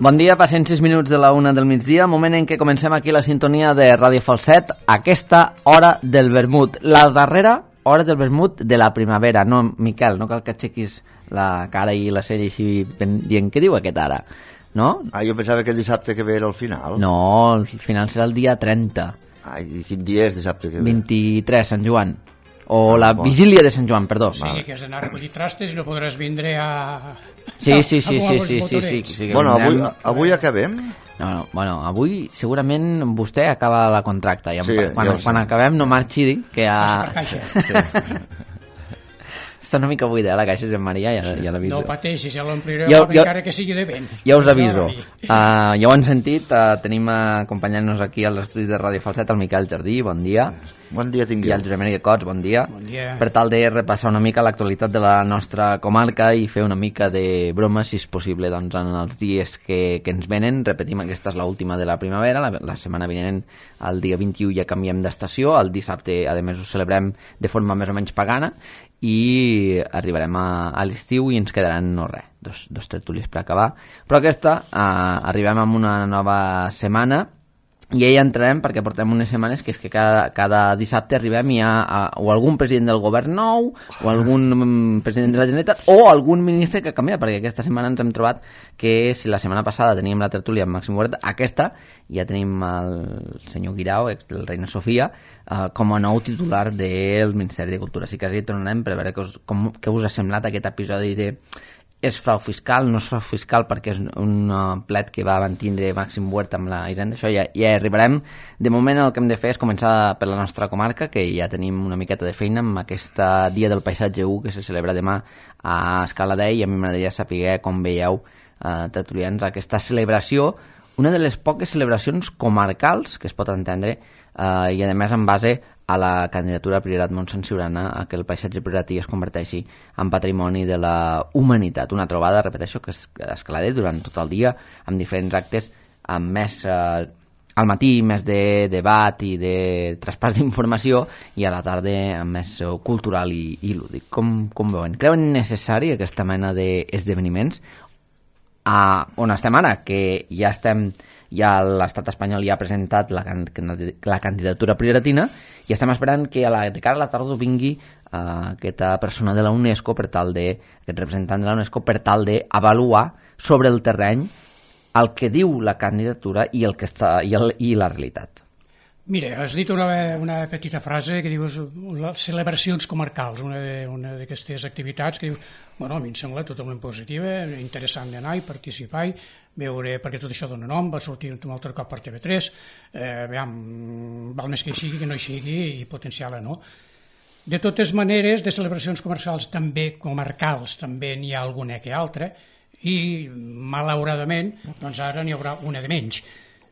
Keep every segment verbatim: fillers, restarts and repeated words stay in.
Bon dia, passen sis minuts de la una del migdia, moment en què comencem aquí la sintonia de Ràdio Falset, aquesta hora del vermut, la darrera hora del vermut de la primavera. No, Miquel, no cal que aixequis la cara i la sella així dient què diu aquest ara, no? Ah, jo pensava que el dissabte que ve era el final. No, el final serà el dia trenta. Ai, i quin dia és dissabte que ve? vint-i-tres, Sant Joan. O ah, la bon. vigília de Sant Joan, perdó. O sigui, que has d'anar a recollir trastes i no podràs vindre a... Sí, sí, sí, sí, sí, sí, sí, sí. Bueno, avui, avui acabem? No, no, bueno, avui segurament vostè acaba la contracta i sí, quan, quan acabem no marxi que ha... Sí. Està una mica buida, eh, la caixa de Maria, ja, ja l'aviso. No pateixis, ja l'ompliré jo, jo, encara que sigui de vent. Ja us aviso. Uh, ja ho han sentit, uh, tenim acompanyant-nos aquí als estudis de Ràdio Falset el Miquel Jardí, bon dia. Bon dia tingueu. I el Josep Maria Cots, bon dia. Bon dia. Per tal de repassar una mica l'actualitat de la nostra comarca i fer una mica de broma, si és possible, doncs, en els dies que, que ens venen. Repetim, aquesta és l'última de la primavera, la, la setmana vinent, el dia vint-i-u, ja canviem d'estació, el dissabte, a més, ho celebrem de forma més o menys pagana, i arribarem a, a l'estiu i ens quedaran, no res, dos, dos tertúlies per acabar. Però aquesta, eh, arribem amb una nova setmana, i ja entrarem perquè portem unes setmanes que és que cada, cada dissabte arribem i hi ha a, o algun president del govern nou o algun um, president de la Generalitat o algun ministre que canvia, perquè aquesta setmana ens hem trobat que si la setmana passada teníem la tertúlia amb Màxim Huerta, aquesta ja tenim el senyor Guirao, ex del Reina Sofia, uh, com a nou titular del Ministeri de Cultura. Així que ja tornarem per veure què us, com, què us ha semblat aquest episodi de és frau fiscal, no és frau fiscal perquè és un uh, plet que va mantindre Màxim Huerta amb la Hisenda, això ja, ja arribarem. De moment el que hem de fer és començar per la nostra comarca, que ja tenim una miqueta de feina amb aquesta Dia del Paisatge u que se celebra demà a Escaladei, i a mi m'agradaria saber com veieu, uh, tertulians, aquesta celebració, una de les poques celebracions comarcals que es pot entendre, uh, i a més en base a la candidatura Priorat Montsant Siurana a que el paisatge prioratí es converteixi en patrimoni de la humanitat. Una trobada, repeteixo, que es escaladé durant tot el dia amb diferents actes, amb més eh, al matí més de debat i de traspàs d'informació i a la tarda amb més eh, cultural i, i lúdic. Com, com veuen? Creuen necessari aquesta mena d'esdeveniments a on estem ara, que ja estem, ja l'estat espanyol ja ha presentat la, la candidatura prioritatina i estem esperant que a la, de cara a la tardor vingui uh, aquesta persona de la UNESCO per tal de, aquest representant de la UNESCO per tal d'avaluar sobre el terreny el que diu la candidatura i el que està i, el, i la realitat. Mira, has dit una, una petita frase que dius les celebracions comarcals, una, de, una d'aquestes activitats que dius, bueno, a mi em sembla totalment positiva, interessant d'anar i participar i veure, perquè tot això dona nom, va sortir un altre cop per T V tres, eh, veiem, val més que hi sigui que no hi sigui i potenciar-la, no? De totes maneres, de celebracions comercials també comarcals, també n'hi ha alguna que altra, i malauradament, doncs ara n'hi haurà una de menys.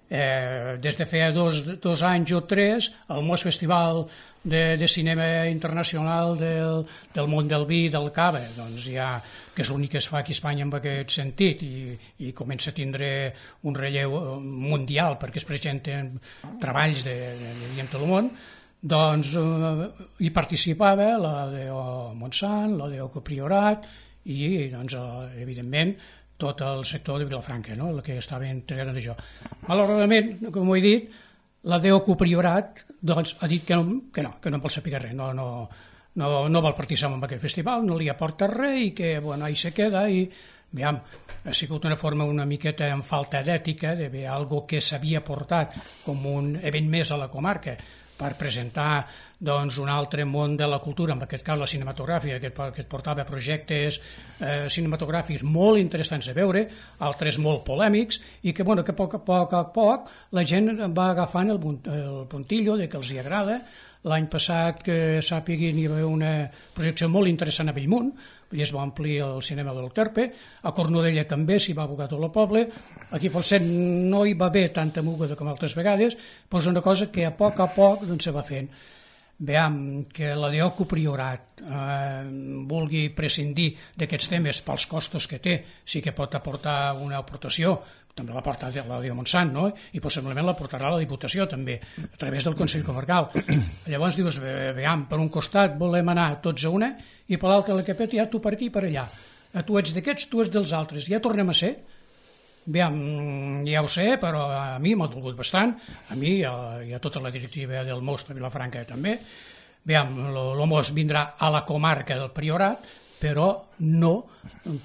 Eh, des de feia dos, dos anys o tres el Mos Festival de, de Cinema Internacional del, del món del vi del Cava, doncs ja, que és l'únic que es fa aquí a Espanya en aquest sentit i, i comença a tindre un relleu mundial perquè es presenten treballs de, de, de tot el món, doncs eh, hi participava la de Montsant, la de Priorat i doncs eh, evidentment tot el sector de Vilafranca, no? El que estava entregant d'això. Malauradament, com ho he dit, la d'Oco Priorat doncs, ha dit que no, que no, que no vol saber res, no, no, no, no vol participar en aquest festival, no li aporta res i que bueno, ahí se queda i veiem, ha sigut una forma una miqueta en falta d'ètica de veure algo que s'havia portat com un event més a la comarca per presentar doncs, un altre món de la cultura, en aquest cas la cinematogràfica, que, que et portava projectes eh, cinematogràfics molt interessants de veure, altres molt polèmics, i que, bueno, que a poc a poc a poc la gent va agafant el, el puntillo de que els hi agrada. L'any passat, que sàpiguin, hi va haver una projecció molt interessant a Bellmunt, i es va omplir el cinema del Terpe, a Cornudella també s'hi va abocar tot el poble, aquí a Falset no hi va haver tanta moguda com altres vegades, però és una cosa que a poc a poc doncs, se va fent. veiem que la D O C U Priorat eh, vulgui prescindir d'aquests temes pels costos que té, sí que pot aportar una aportació, també la porta la D O Montsant, no? I possiblement la portarà la Diputació també, a través del Consell Comarcal. Llavors dius, veiem, per un costat volem anar tots a una i per l'altre la que peta, ja tu per aquí i per allà. Tu ets d'aquests, tu ets dels altres, ja tornem a ser. Aviam, ja ho sé, però a mi m'ha dolgut bastant, a mi i a, i a tota la directiva del M O S de Vilafranca també. Aviam, el M O S vindrà a la comarca del Priorat, però no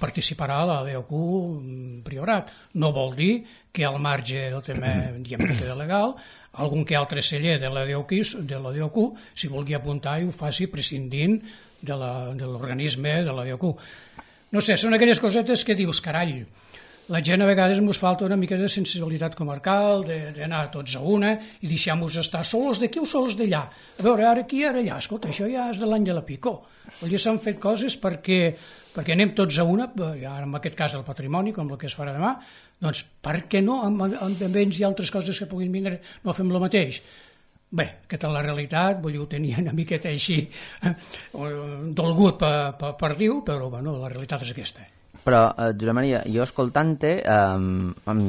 participarà a la D O C U Priorat. No vol dir que al marge del tema diguem que queda legal, algun que altre celler de la D O C U, de la D O C U s'hi vulgui apuntar i ho faci prescindint de l'organisme de la D O C U. No sé, són aquelles cosetes que dius, carall, la gent a vegades ens falta una mica de sensibilitat comarcal, d'anar tots a una i deixar-nos estar sols d'aquí o sols d'allà. A veure, ara aquí, ara allà. Escolta, això ja és de l'any de la Picó. Vull dir, s'han fet coses perquè, perquè anem tots a una, ja en aquest cas el patrimoni, com el que es farà demà, doncs per què no, amb, amb béns i altres coses que puguin vindre, no fem el mateix? Bé, aquesta és la realitat, vull dir, ho tenia una miqueta així eh, dolgut per, per, per dir-ho, però bueno, la realitat és aquesta. Però, eh, Josep Maria, jo escoltant-te eh, em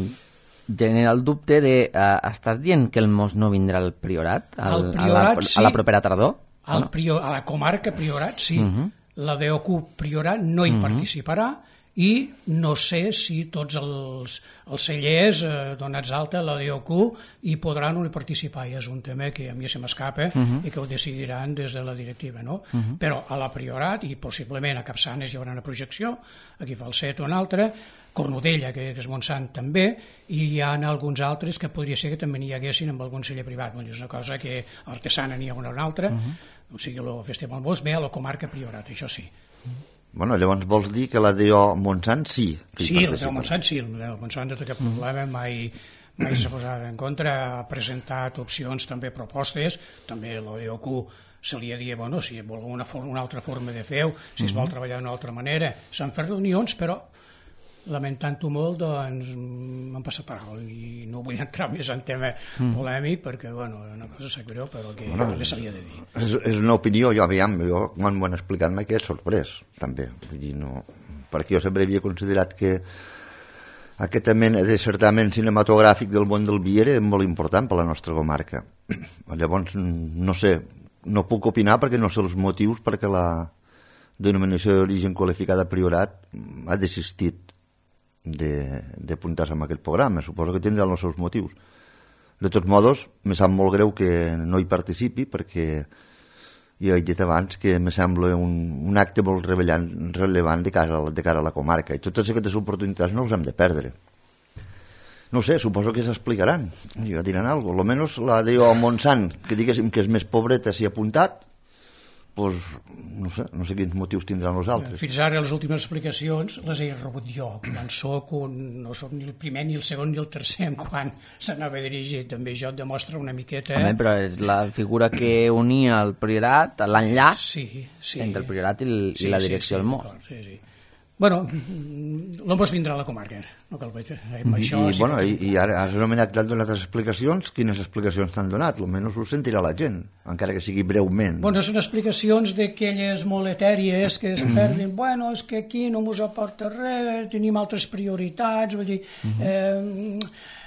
genera el dubte de eh, estàs dient que el M O S no vindrà al Priorat? Al, Priorat, a la, sí. A la propera tardor? Al prior, a la comarca Priorat, sí. Uh -huh. La D O C U Priorat no hi uh -huh. participarà i no sé si tots els, els cellers eh, donats alta a la D O C U hi podran o no hi participar. I és un tema que a mi se m'escapa uh -huh. i que ho decidiran des de la directiva, no? Uh -huh. Però a la Priorat i possiblement a Capçanes hi haurà una projecció, aquí fa el set o un altre, Cornudella, que és Montsant també, i hi ha alguns altres que podria ser que també n'hi haguessin amb algun celler privat. És una cosa que a Artesana n'hi ha una o una altra, uh -huh. o sigui, el Festival M O S ve a la comarca Priorat, això sí. Uh -huh. Bueno, llavors vols dir que la D O Montsant sí? Sí, la D O Montsant sí, la D O Montsant no té cap problema, mai, mai s'ha posat en contra, ha presentat opcions, també propostes, també la D O C U se li ha dit, bueno, si vol una, una altra forma de fer-ho, si es vol treballar d'una altra manera, s'han fet reunions, però lamentant-ho molt, doncs m'han passat per alt i no vull entrar més en tema mm. polèmic perquè, bueno, una cosa sap greu, però que bueno, també s'havia de dir. És, és una opinió, jo, aviam, jo, quan m'ho han explicat m'he quedat sorprès, també. Vull dir, no... Perquè jo sempre havia considerat que aquesta mena de certament cinematogràfic del món del vi era molt important per la nostra comarca. Llavors, no sé, no puc opinar perquè no sé els motius perquè la denominació d'origen qualificada Priorat ha desistit d'apuntar-se en aquest programa. Suposo que tindran els seus motius. De tots modos, me sap molt greu que no hi participi perquè jo he dit abans que me sembla un, un acte molt rellevant, rellevant de, cara, de cara a la comarca i totes aquestes oportunitats no les hem de perdre. No sé, suposo que s'explicaran, ja diran alguna cosa. Almenys la D O Montsant, que diguéssim que és més pobreta, s'hi ha apuntat, pues, no sé, no sé quins motius tindran els altres. Fins ara les últimes explicacions les he rebut jo, quan soc un, no soc ni el primer, ni el segon, ni el tercer quan s'anava dirigit, també això et demostra una miqueta... Home, però és la figura que unia el Priorat, l'enllaç sí, sí. entre el Priorat i, el, sí, i la direcció sí, del M O S. Sí, sí. Bueno, l'M O S vindrà a la comarca, no cal veure. Mm, això, I, sí, bueno, i, i ara has anomenat que t'han donat explicacions. Quines explicacions t'han donat? Almenys ho sentirà la gent, encara que sigui breument. Bueno, són explicacions d'aquelles molt etèries que es perden. Bueno, és que aquí no mos aporta res, tenim altres prioritats, vull dir... Eh,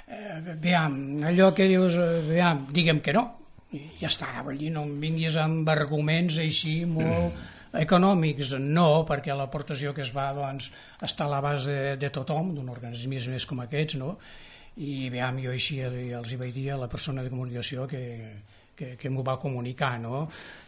eh, veam, allò que dius, veam, diguem que no, i ja està, vull dir, no em vinguis amb arguments així molt... econòmics no, perquè l'aportació que es fa doncs, està a la base de, de tothom, d'un organisme més com aquests, no? I veam, jo així els hi vaig dir a la persona de comunicació que, que, que m'ho va comunicar, no?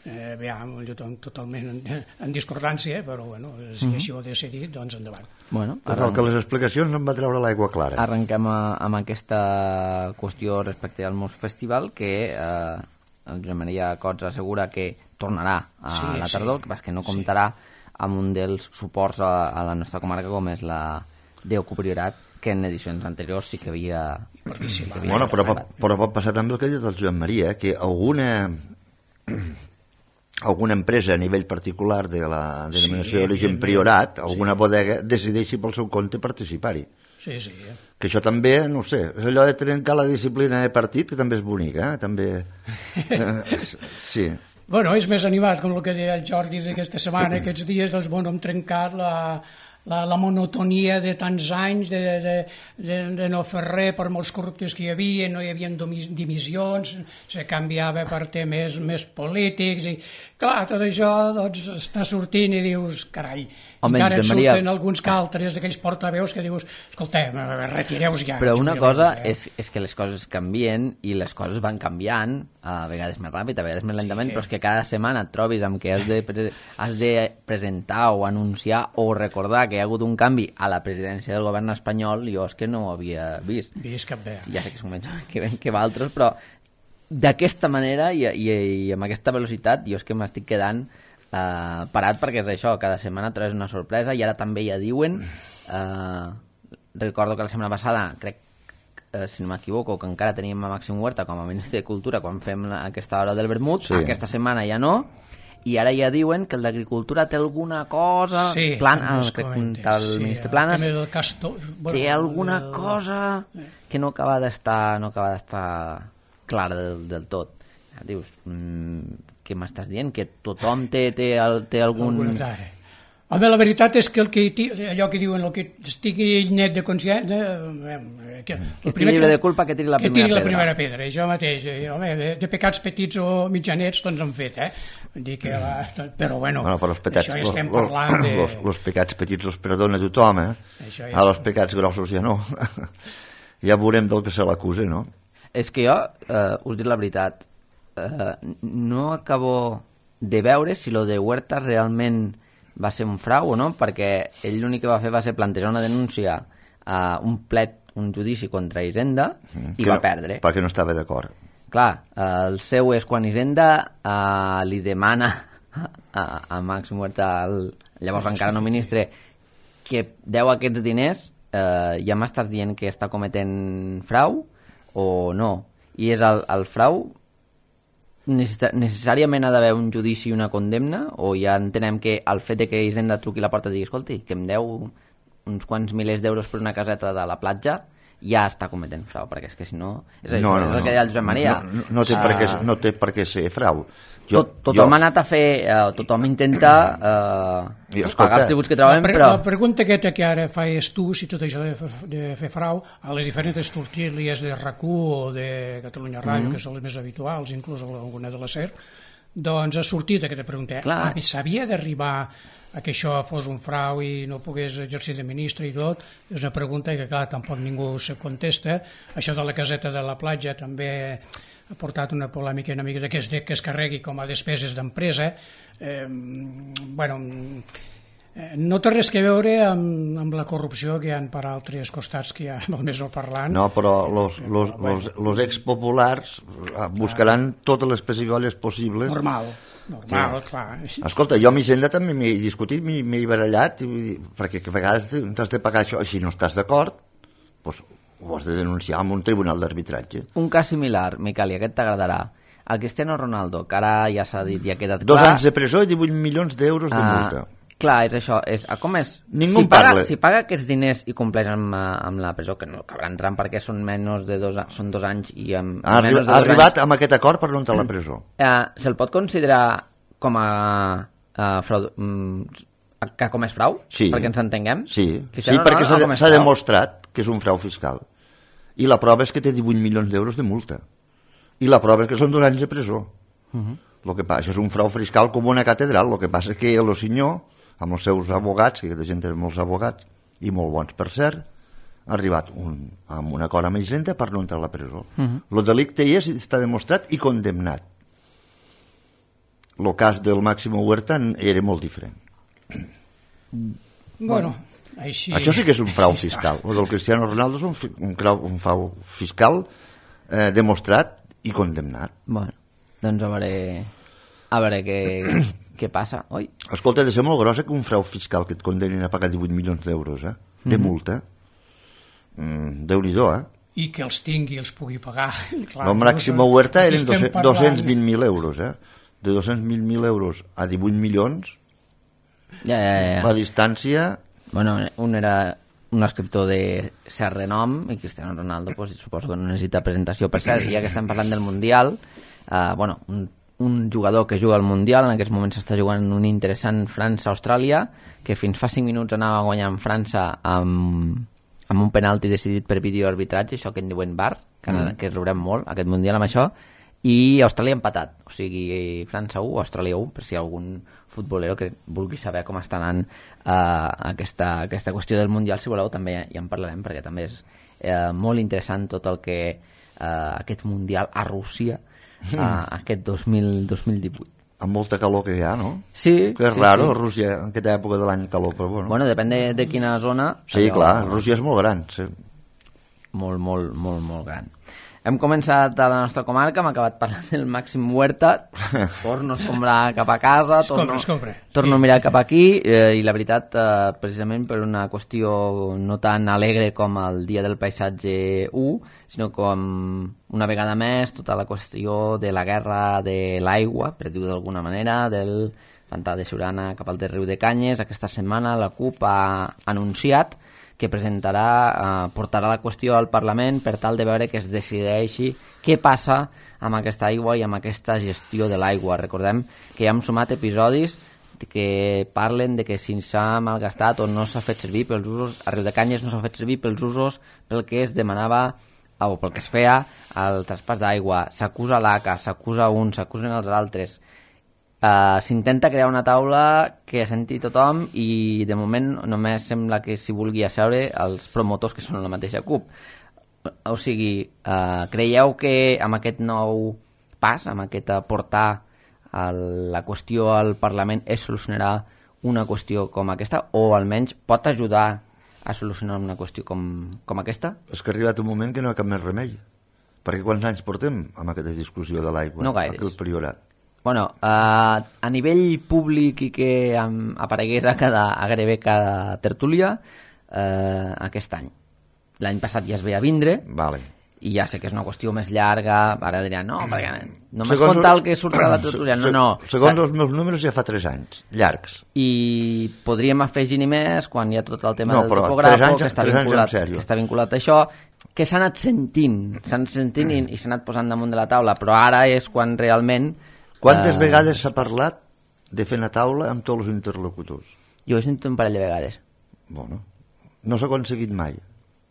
Eh, veam, jo totalment en, en discordància, però bueno, si mm -hmm. així ho he decidit, doncs endavant. Bueno, total, que les explicacions no em va treure l'aigua clara. Arrenquem a, amb aquesta qüestió respecte al M O S Festival, que eh, el Josep Maria Cots assegura que tornarà a sí, la tardor, sí. que pas que no comptarà sí. amb un dels suports a, a la nostra comarca com és la D O C U Priorat, que en edicions anteriors sí que havia participat. Bueno, però, pot, però pot passar també el que ha dit el Josep Maria, eh, que alguna alguna empresa a nivell particular de la denominació sí, d'origen Priorat, sí. alguna bodega, decideixi pel seu compte participar-hi. Sí, sí. Que això també, no sé, és allò de trencar la disciplina de partit, que també és bonica, eh? També... sí. Bueno, és més animat, com el que deia el Jordi d'aquesta setmana, aquests dies, doncs, bueno, hem trencat la, la, la monotonia de tants anys de, de, de, de no fer res per molts corruptes que hi havia, no hi havia dimissions, se canviava per temes més polítics, i clar, tot això doncs, està sortint i dius, carai, home, encara et surten Maria... alguns caltres d'aquells portaveus que dius, escolteu, retireu-vos ja. Però una cosa eh? és, és que les coses canvien i les coses van canviant, a vegades més ràpid, a vegades més lentament, sí. Però és que cada setmana et trobis amb que has de, pre has de presentar o anunciar o recordar que hi ha hagut un canvi a la presidència del govern espanyol, jo és que no ho havia vist. Vist cap bé. Ja sé que són menys que, que altres, però d'aquesta manera i, i, i amb aquesta velocitat jo és que m'estic quedant uh, parat, perquè és això, cada setmana trobes una sorpresa i ara també ja diuen, uh, recordo que la setmana passada, crec, uh, si no m'equivoco, que encara teníem a Màxim Huerta com a ministre de Cultura quan fem la, aquesta hora del vermut, sí. Aquesta setmana ja no, i ara ja diuen que el d'Agricultura té alguna cosa, sí, plan, el, el sí, ministre Planas el Castor, bueno, té alguna el... cosa que no acaba d'estar no acaba d'estar clara del, del tot. Dius, mmm, què m'estàs dient? Que tothom té, té, el, té algun... Home, la veritat és que, el que allò que diuen, el que estigui net de consciència... Que, que estigui llibre de culpa, que tiri la primera pedra. Que tiri la primera pedra, això mateix. Home, de, de pecats petits o mitjanets, doncs han fet, eh? Dir que la, però, bueno, bueno però petats, això ja estem los, parlant de... Los, los pecats petits els perdona tothom, eh? Ja a els pecats grossos ja no. Ja veurem del que se l'acusa, no? És que jo, eh, us dic la veritat, eh, no acabo de veure si lo de Huerta realment va ser un frau o no, perquè ell l'únic que va fer va ser plantejar una denúncia a un plet, un judici contra Hisenda mm, i va no, perdre. Perquè no estava d'acord. Clar, eh, el seu és quan Hisenda eh, li demana a, a Màxim Huerta, el, llavors encara no ministre, que deu aquests diners, eh, ja m'estàs dient que està cometent frau o no, i és el, el frau necessàriament ha d'haver un judici i una condemna, o ja entenem que el fet de que Hisenda truqui la porta i digui, escolti, que em deu uns quants milers d'euros per una caseta de la platja, ja està cometent frau, perquè és que si no és, no, això, no, és el que deia el Josep Maria, no, no, no, té uh, per què, no té per què ser frau. Jo, tot, tothom jo... ha anat a fer, uh, tothom intenta uh, I, escolta, pagar els tributs que trobem, la pre però... La pregunta aquesta que ara faies tu, si tot això de, de fer frau, a les diferents tertúlies de RAC u o de Catalunya Ràdio, mm -hmm. que són les més habituals, inclús alguna de la SER, doncs ha sortit aquesta pregunta. Ah, s'havia d'arribar a que això fos un frau i no pogués exercir de ministre i tot, és una pregunta que clar, tampoc ningú se contesta. Això de la caseta de la platja també ha portat una polèmica una mica de que es, de, que es carregui com a despeses d'empresa. Eh, bueno, eh, no té res que veure amb, amb la corrupció que hi ha per altres costats que hi ha molt més no parlant. No, però los, los, los, los expopulars buscaran totes les pessigolles possibles. Normal. Normal, que... clar. Escolta, jo amb Hisenda també m'he discutit, m'he barallat, perquè a vegades t'has de pagar això, si no estàs d'acord, doncs ho has de denunciar en un tribunal d'arbitratge. Un cas similar, Miquel, i aquest t'agradarà. El Cristiano Ronaldo, que ara ja s'ha dit i ha quedat clar... Dos anys de presó i divuit milions d'euros de multa. Uh, clar, és això. És, com és? Ningú si parla. Paga, si paga aquests diners i compleix amb, amb la presó, que no acabarà entrant perquè són menys de dos, són dos anys i amb ha, menys de dos ha arribat anys, amb aquest acord per no entrar a la presó. Uh, Se'l pot considerar com a uh, frau, um, que com és frau? Sí. Perquè ens entenguem? Sí, sí perquè s'ha demostrat que és un frau fiscal. I la prova és que té divuit milions d'euros de multa. I la prova és que són dos anys de presó. Uh -huh. Lo que passa és un frau fiscal com una catedral. El que passa és que el senyor, amb els seus abogats, que aquesta gent té molts abogats, i molt bons per cert, ha arribat un, amb un acord amb Hisenda per no entrar a la presó. Uh -huh. El delicte hi és, està demostrat i condemnat. El cas del Máximo Huerta era molt diferent. Bueno, així... Això sí que és un frau fiscal. El del Cristiano Ronaldo és un, un, un frau fiscal eh, demostrat i condemnat. Bueno, doncs a veure, a veure què, què passa, oi? Escolta, ha de ser molt grossa que un frau fiscal que et condenin a pagar divuit milions d'euros, eh? De mm -hmm. multa. Mm, Déu-n'hi-do, eh? I que els tingui, els pugui pagar. Clar, el Máximo Huerta eren dos-cents vint mil euros, eh? De dos-cents vint mil euros a divuit milions, ja, ja, ja. la distància... Bueno, un era un escriptor de cert renom i Cristiano Ronaldo pues, suposo que no necessita presentació. Per cert, ja que estem parlant del Mundial, uh, bueno, un un jugador que juga al Mundial, en aquests moments s'està jugant un interessant França-Austràlia, que fins fa cinc minuts anava guanyant França amb, amb un penalti decidit per videoarbitratge, això que en diuen V A R, que, mm. que riurem molt, aquest Mundial amb això, i Austràlia empatat, o sigui, França u, Austràlia u, per si hi ha algun futbolero que vulgui saber com està anant uh, aquesta, aquesta qüestió del Mundial, si voleu també ja en parlarem, perquè també és uh, molt interessant tot el que uh, aquest Mundial a Rússia uh, aquest dos mil divuit. Amb molta calor que hi ha, no? Sí. Que és sí, raro, sí. Rússia, en aquesta època de l'any calor, però bueno. Bueno, depèn de, de quina zona. Sí, allò, clar, Rússia és molt gran, sí. Molt, molt, molt, molt gran. Hem començat a la nostra comarca, hem acabat parlant del Màxim Huerta, torno a escombrar cap a casa, torno, escombra, torno sí, a mirar sí. cap aquí, eh, i la veritat, eh, precisament per una qüestió no tan alegre com el Dia del Paisatge u, sinó com una vegada més tota la qüestió de la guerra de l'aigua, per dir-ho d'alguna manera, del pantà de Siurana cap al de Riu de Canyes. Aquesta setmana la CUP ha anunciat que presentarà, eh, portarà la qüestió al Parlament per tal de veure que es decideixi què passa amb aquesta aigua i amb aquesta gestió de l'aigua. Recordem que ja hem sumat episodis que parlen de que si s'ha malgastat o no s'ha fet servir pels usos, a Riu de Canyes no s'ha fet servir pels usos pel que es demanava o pel que es feia el traspàs d'aigua. S'acusa l'A C A, s'acusa un, s'acusen els altres. Uh, s'intenta crear una taula que senti tothom i de moment només sembla que s'hi vulgui asseure els promotors que són la mateixa CUP. O sigui, uh, creieu que amb aquest nou pas, amb aquest portar el, la qüestió al Parlament es solucionarà una qüestió com aquesta, o almenys pot ajudar a solucionar una qüestió com, com aquesta? És que ha arribat un moment que no hi ha cap més remei, perquè quants anys portem amb aquesta discussió de l'aigua? No gaires. Aquí al Priorat. Bueno, uh, a nivell públic i que um, aparegués a, cada, a gairebé cada tertúlia uh, aquest any. L'any passat ja es veia vindre, vale. I ja sé que és una qüestió més llarga, ara diran, no, perquè només segons contar el que surtrà a la tertúlia, no, no. Segons els meus números ja fa tres anys, llargs. I podríem afegir-hi més quan hi ha tot el tema no, del topògrafo, que, està vinculat, que està vinculat a això, que s'ha anat sentint, s'ha anat sentint i, i s'ha anat posant damunt de la taula, però ara és quan realment... Quantes uh, vegades s'ha parlat de fer una taula amb tots els interlocutors? Jo ho he sentit un parell de vegades. Bueno, no s'ha aconseguit mai.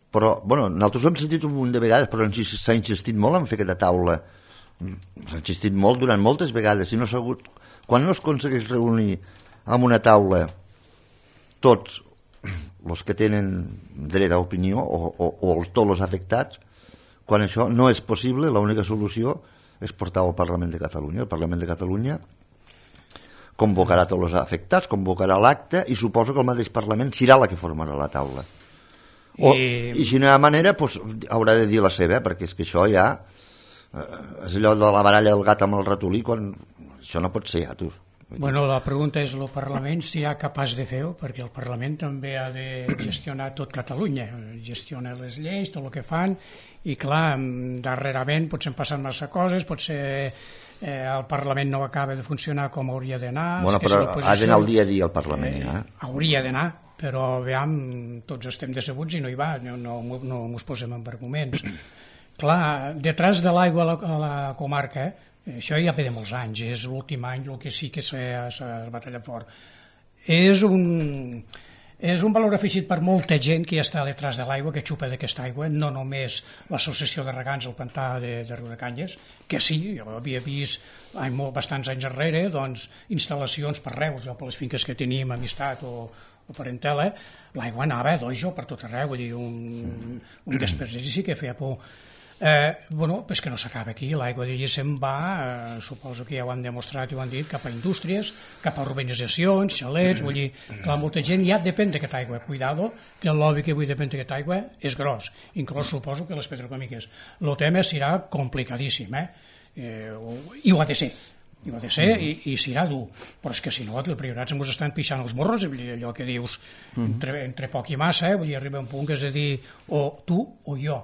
Però, bueno, nosaltres ho hem sentit un munt de vegades, però s'ha insistit molt en fer aquesta taula. S'ha insistit molt durant moltes vegades. I no s'ha hagut... Quan no es aconsegueix reunir amb una taula tots els que tenen dret a opinió o, o, o tots els afectats, quan això no és possible, l'única solució és portar al Parlament de Catalunya. El Parlament de Catalunya convocarà tots els afectats, convocarà l'acte i suposo que el mateix Parlament serà la que formarà la taula. O, I... I si no hi ha manera, pues, haurà de dir la seva, perquè és que això ja eh, és allò de la baralla del gat amb el ratolí, quan això no pot ser ja, tu. Bueno, la pregunta és el Parlament si ha capaç de fer-ho, perquè el Parlament també ha de gestionar tot Catalunya, gestiona les lleis, tot el que fan, i clar, darrerament potser han passat massa coses, potser eh, el Parlament no acaba de funcionar com hauria d'anar. Bueno, però ha d'anar el dia a dia al Parlament, eh, ja. Hauria d'anar, però veiem, tots estem decebuts i no hi va, no, no, no ens posem en arguments. Clar, detrás de l'aigua a, a la comarca, eh, això ja ve de molts anys, és l'últim any el que sí que s'ha batallat fort. És un... És un valor afegit per molta gent que ja està detrás de l'aigua, que xupa d'aquesta aigua, no només l'associació de regants al pantà de, de Riu de Canyes, que sí, jo havia vist ai, molt, bastants anys enrere doncs, instal·lacions per Reus, jo, per les finques que teníem amistat o, o parentela, l'aigua anava dojo per tot arreu, vull dir, un, un desperdici que feia por. Eh, bueno, és que no s'acaba aquí, l'aigua se'n va, eh, suposo que ja ho han demostrat i ho han dit, cap a indústries, cap a urbanitzacions, xalets, vull dir, clar, molta gent ja depèn d'aquesta aigua, cuidado, que el lobby que avui depèn d'aquesta aigua és gros, inclús suposo que les petroquímiques. El tema serà complicadíssim, eh? eh i ho ha de ser, i ho ha de ser i, i serà dur, però és que si no, els priorats ens estan pixant els morros, allò que dius, entre, entre poc i massa, eh? Vull dir, arriba un punt que és de dir, o tu o jo,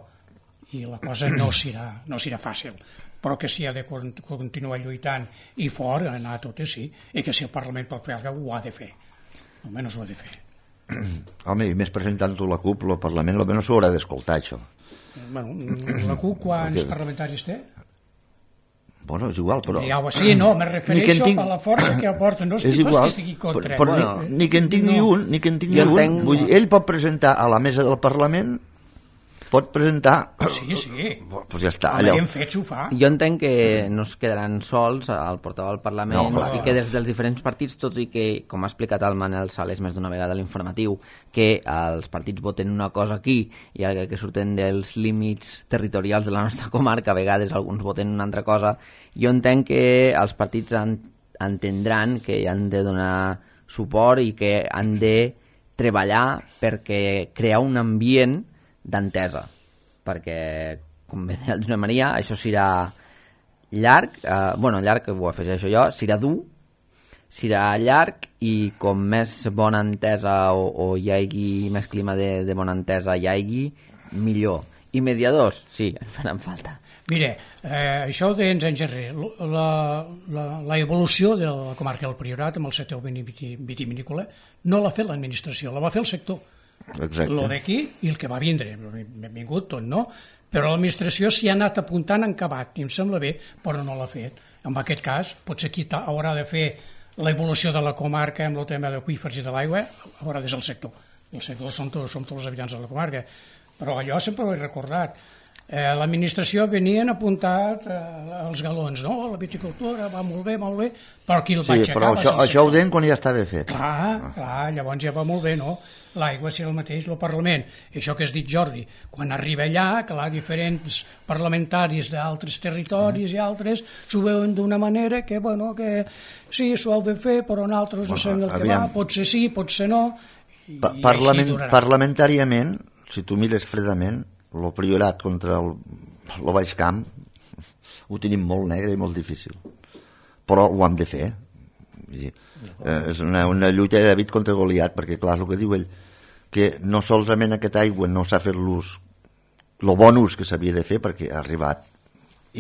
i la cosa no serà, no serà fàcil, però que si ha de continuar lluitant i fort, anar a totes sí, i que si el Parlament pot fer alguna cosa, ho ha de fer, almenys ho ha de fer. Home, i més presentant-ho la CUP, el Parlament almenys s'ho haurà d'escoltar, això. Bueno, la CUP quants parlamentaris té? Bueno, és igual, però... Ja, sí, no, me refereixo tinc... a la força que aporta, no estic igual, que estigui contra. Però, però bueno, ni, ni que en tingui no. un, ni que en tingui un. entenc... Vull dir, ell pot presentar a la mesa del Parlament, pot presentar... Sí, sí. Pues ja està. Allò. Ben fet, s'ho fa. Jo entenc que no es quedaran sols al portaveu del Parlament no, i que des dels diferents partits, tot i que, com ha explicat el Manel Sales més d'una vegada a l'informatiu, que els partits voten una cosa aquí i el que surten dels límits territorials de la nostra comarca, a vegades alguns voten una altra cosa, jo entenc que els partits en, entendran que han de donar suport i que han de treballar perquè crear un ambient d'entesa, perquè, com bé deia el Josep Maria, això serà llarg, eh, bueno, llarg, ho afegeixo jo, serà dur, serà llarg i com més bona entesa o, o hi hagi més clima de, de bona entesa hi hagi, millor. I mediadors, sí, en faran falta. Mire, eh, això ho deien anys enrere, la, la, la evolució de la comarca del Priorat amb el sector vitivinícola no l'ha fet l'administració, la va fer el sector. Exacte. Lo d'aquí i el que va vindre, benvingut tot, no? Però l'administració s'hi ha anat apuntant en acabat, i em sembla bé, però no l'ha fet. En aquest cas, potser qui haurà de fer l'evolució de la comarca amb el tema d'aqüífers i de l'aigua, haurà de ser el sector. El sector som tots, som tots els habitants de la comarca. Però allò sempre ho he recordat. Eh, l'administració venien apuntat eh, els galons, no? La viticultura va molt bé, molt bé, però qui el va sí, aixecar... però això, això ho deien quan ja estava fet. Clar, ah. clar, llavors ja va molt bé, no? L'aigua serà el mateix, el Parlament. Això que has dit, Jordi, quan arriba allà, clar, diferents parlamentaris d'altres territoris mm. i altres s'ho veuen d'una manera que, bueno, que sí, s'ho heu de fer, però nosaltres no sabem el que va, potser sí, potser no, i, pa i Parlament, així durarà. Parlamentàriament, si tu mires fredament, el Priorat contra el, el Baix Camp ho tenim molt negre i molt difícil, però ho hem de fer. Vull dir, eh, és una, una lluita de David contra Goliat, perquè clar, el que diu ell, que no solament aquesta aigua no s'ha fet l'ús, el bon ús que s'havia de fer, perquè ha arribat,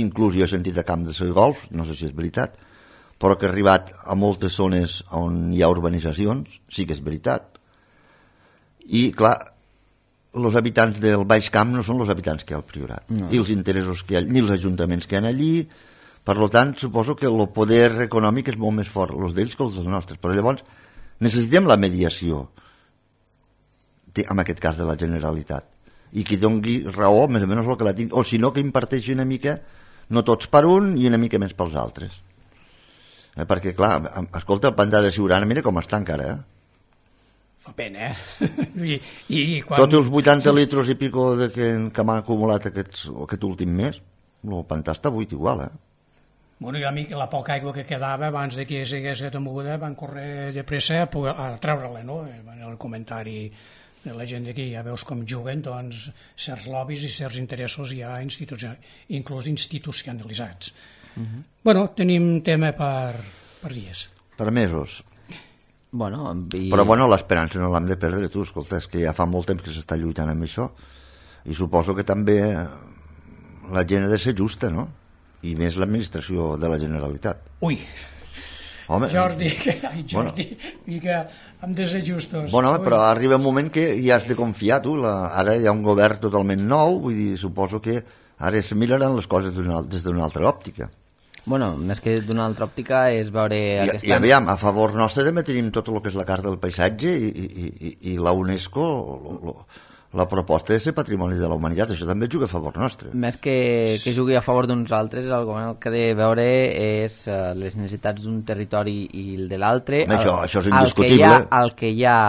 inclús jo he sentit a Camp de Golf, no sé si és veritat, però que ha arribat a moltes zones on hi ha urbanitzacions, sí que és veritat. I clar, els habitants del Baix Camp no són els habitants que hi ha al Priorat, no. I els interessos que hi ha, ni els ajuntaments que hi ha allí, per tant, suposo que el poder econòmic és molt més fort, els d'ells que els dels nostres, però llavors necessitem la mediació, en aquest cas de la Generalitat, i qui doni raó, més o menys el que la tingui, o si no, que imparteixi una mica, no tots per un i una mica més pels altres. Eh, perquè, clar, escolta, el pantà de Siurana, mira com està encara, eh? Fa pena, eh? I, i quan... Tots els vuitanta litres i pico de que, que m'ha acumulat aquests, aquest últim mes, el pantà està buit igual, eh? Bueno, i a mi la poca aigua que quedava abans de que s'hagués aquesta moguda van córrer de pressa a, a treure-la, no? En el comentari de la gent d'aquí ja veus com juguen, doncs, certs lobbies i certs interessos ja institucional, inclús institucionalitzats. Uh-huh. Bueno, tenim tema per, per dies. Per mesos. Bueno, i... Però bueno, l'esperança no l'hem de perdre, tu, escolta, és que ja fa molt temps que s'està lluitant amb això, i suposo que també la gent ha de ser justa, no? I més l'administració de la Generalitat. Ui, home, Jordi, que, ai, Jordi, bueno, i que hem de ser justos. Bueno, home, però arriba un moment que ja has de confiar, tu, la, ara hi ha un govern totalment nou, vull dir, suposo que ara es miraran les coses des d'una altra òptica. Bueno, més que d'una altra òptica és veure... I, aquesta... i aviam, a favor nostre també tenim tot el que és la Carta del Paisatge i, i, i, i la UNESCO, lo, lo, la proposta de ser patrimoni de la humanitat, això també juga a favor nostre. Més que, que jugui a favor d'uns altres, el govern el que ha de veure és uh, les necessitats d'un territori i el de l'altre. Això, això és indiscutible. El que, ha, el, que ha,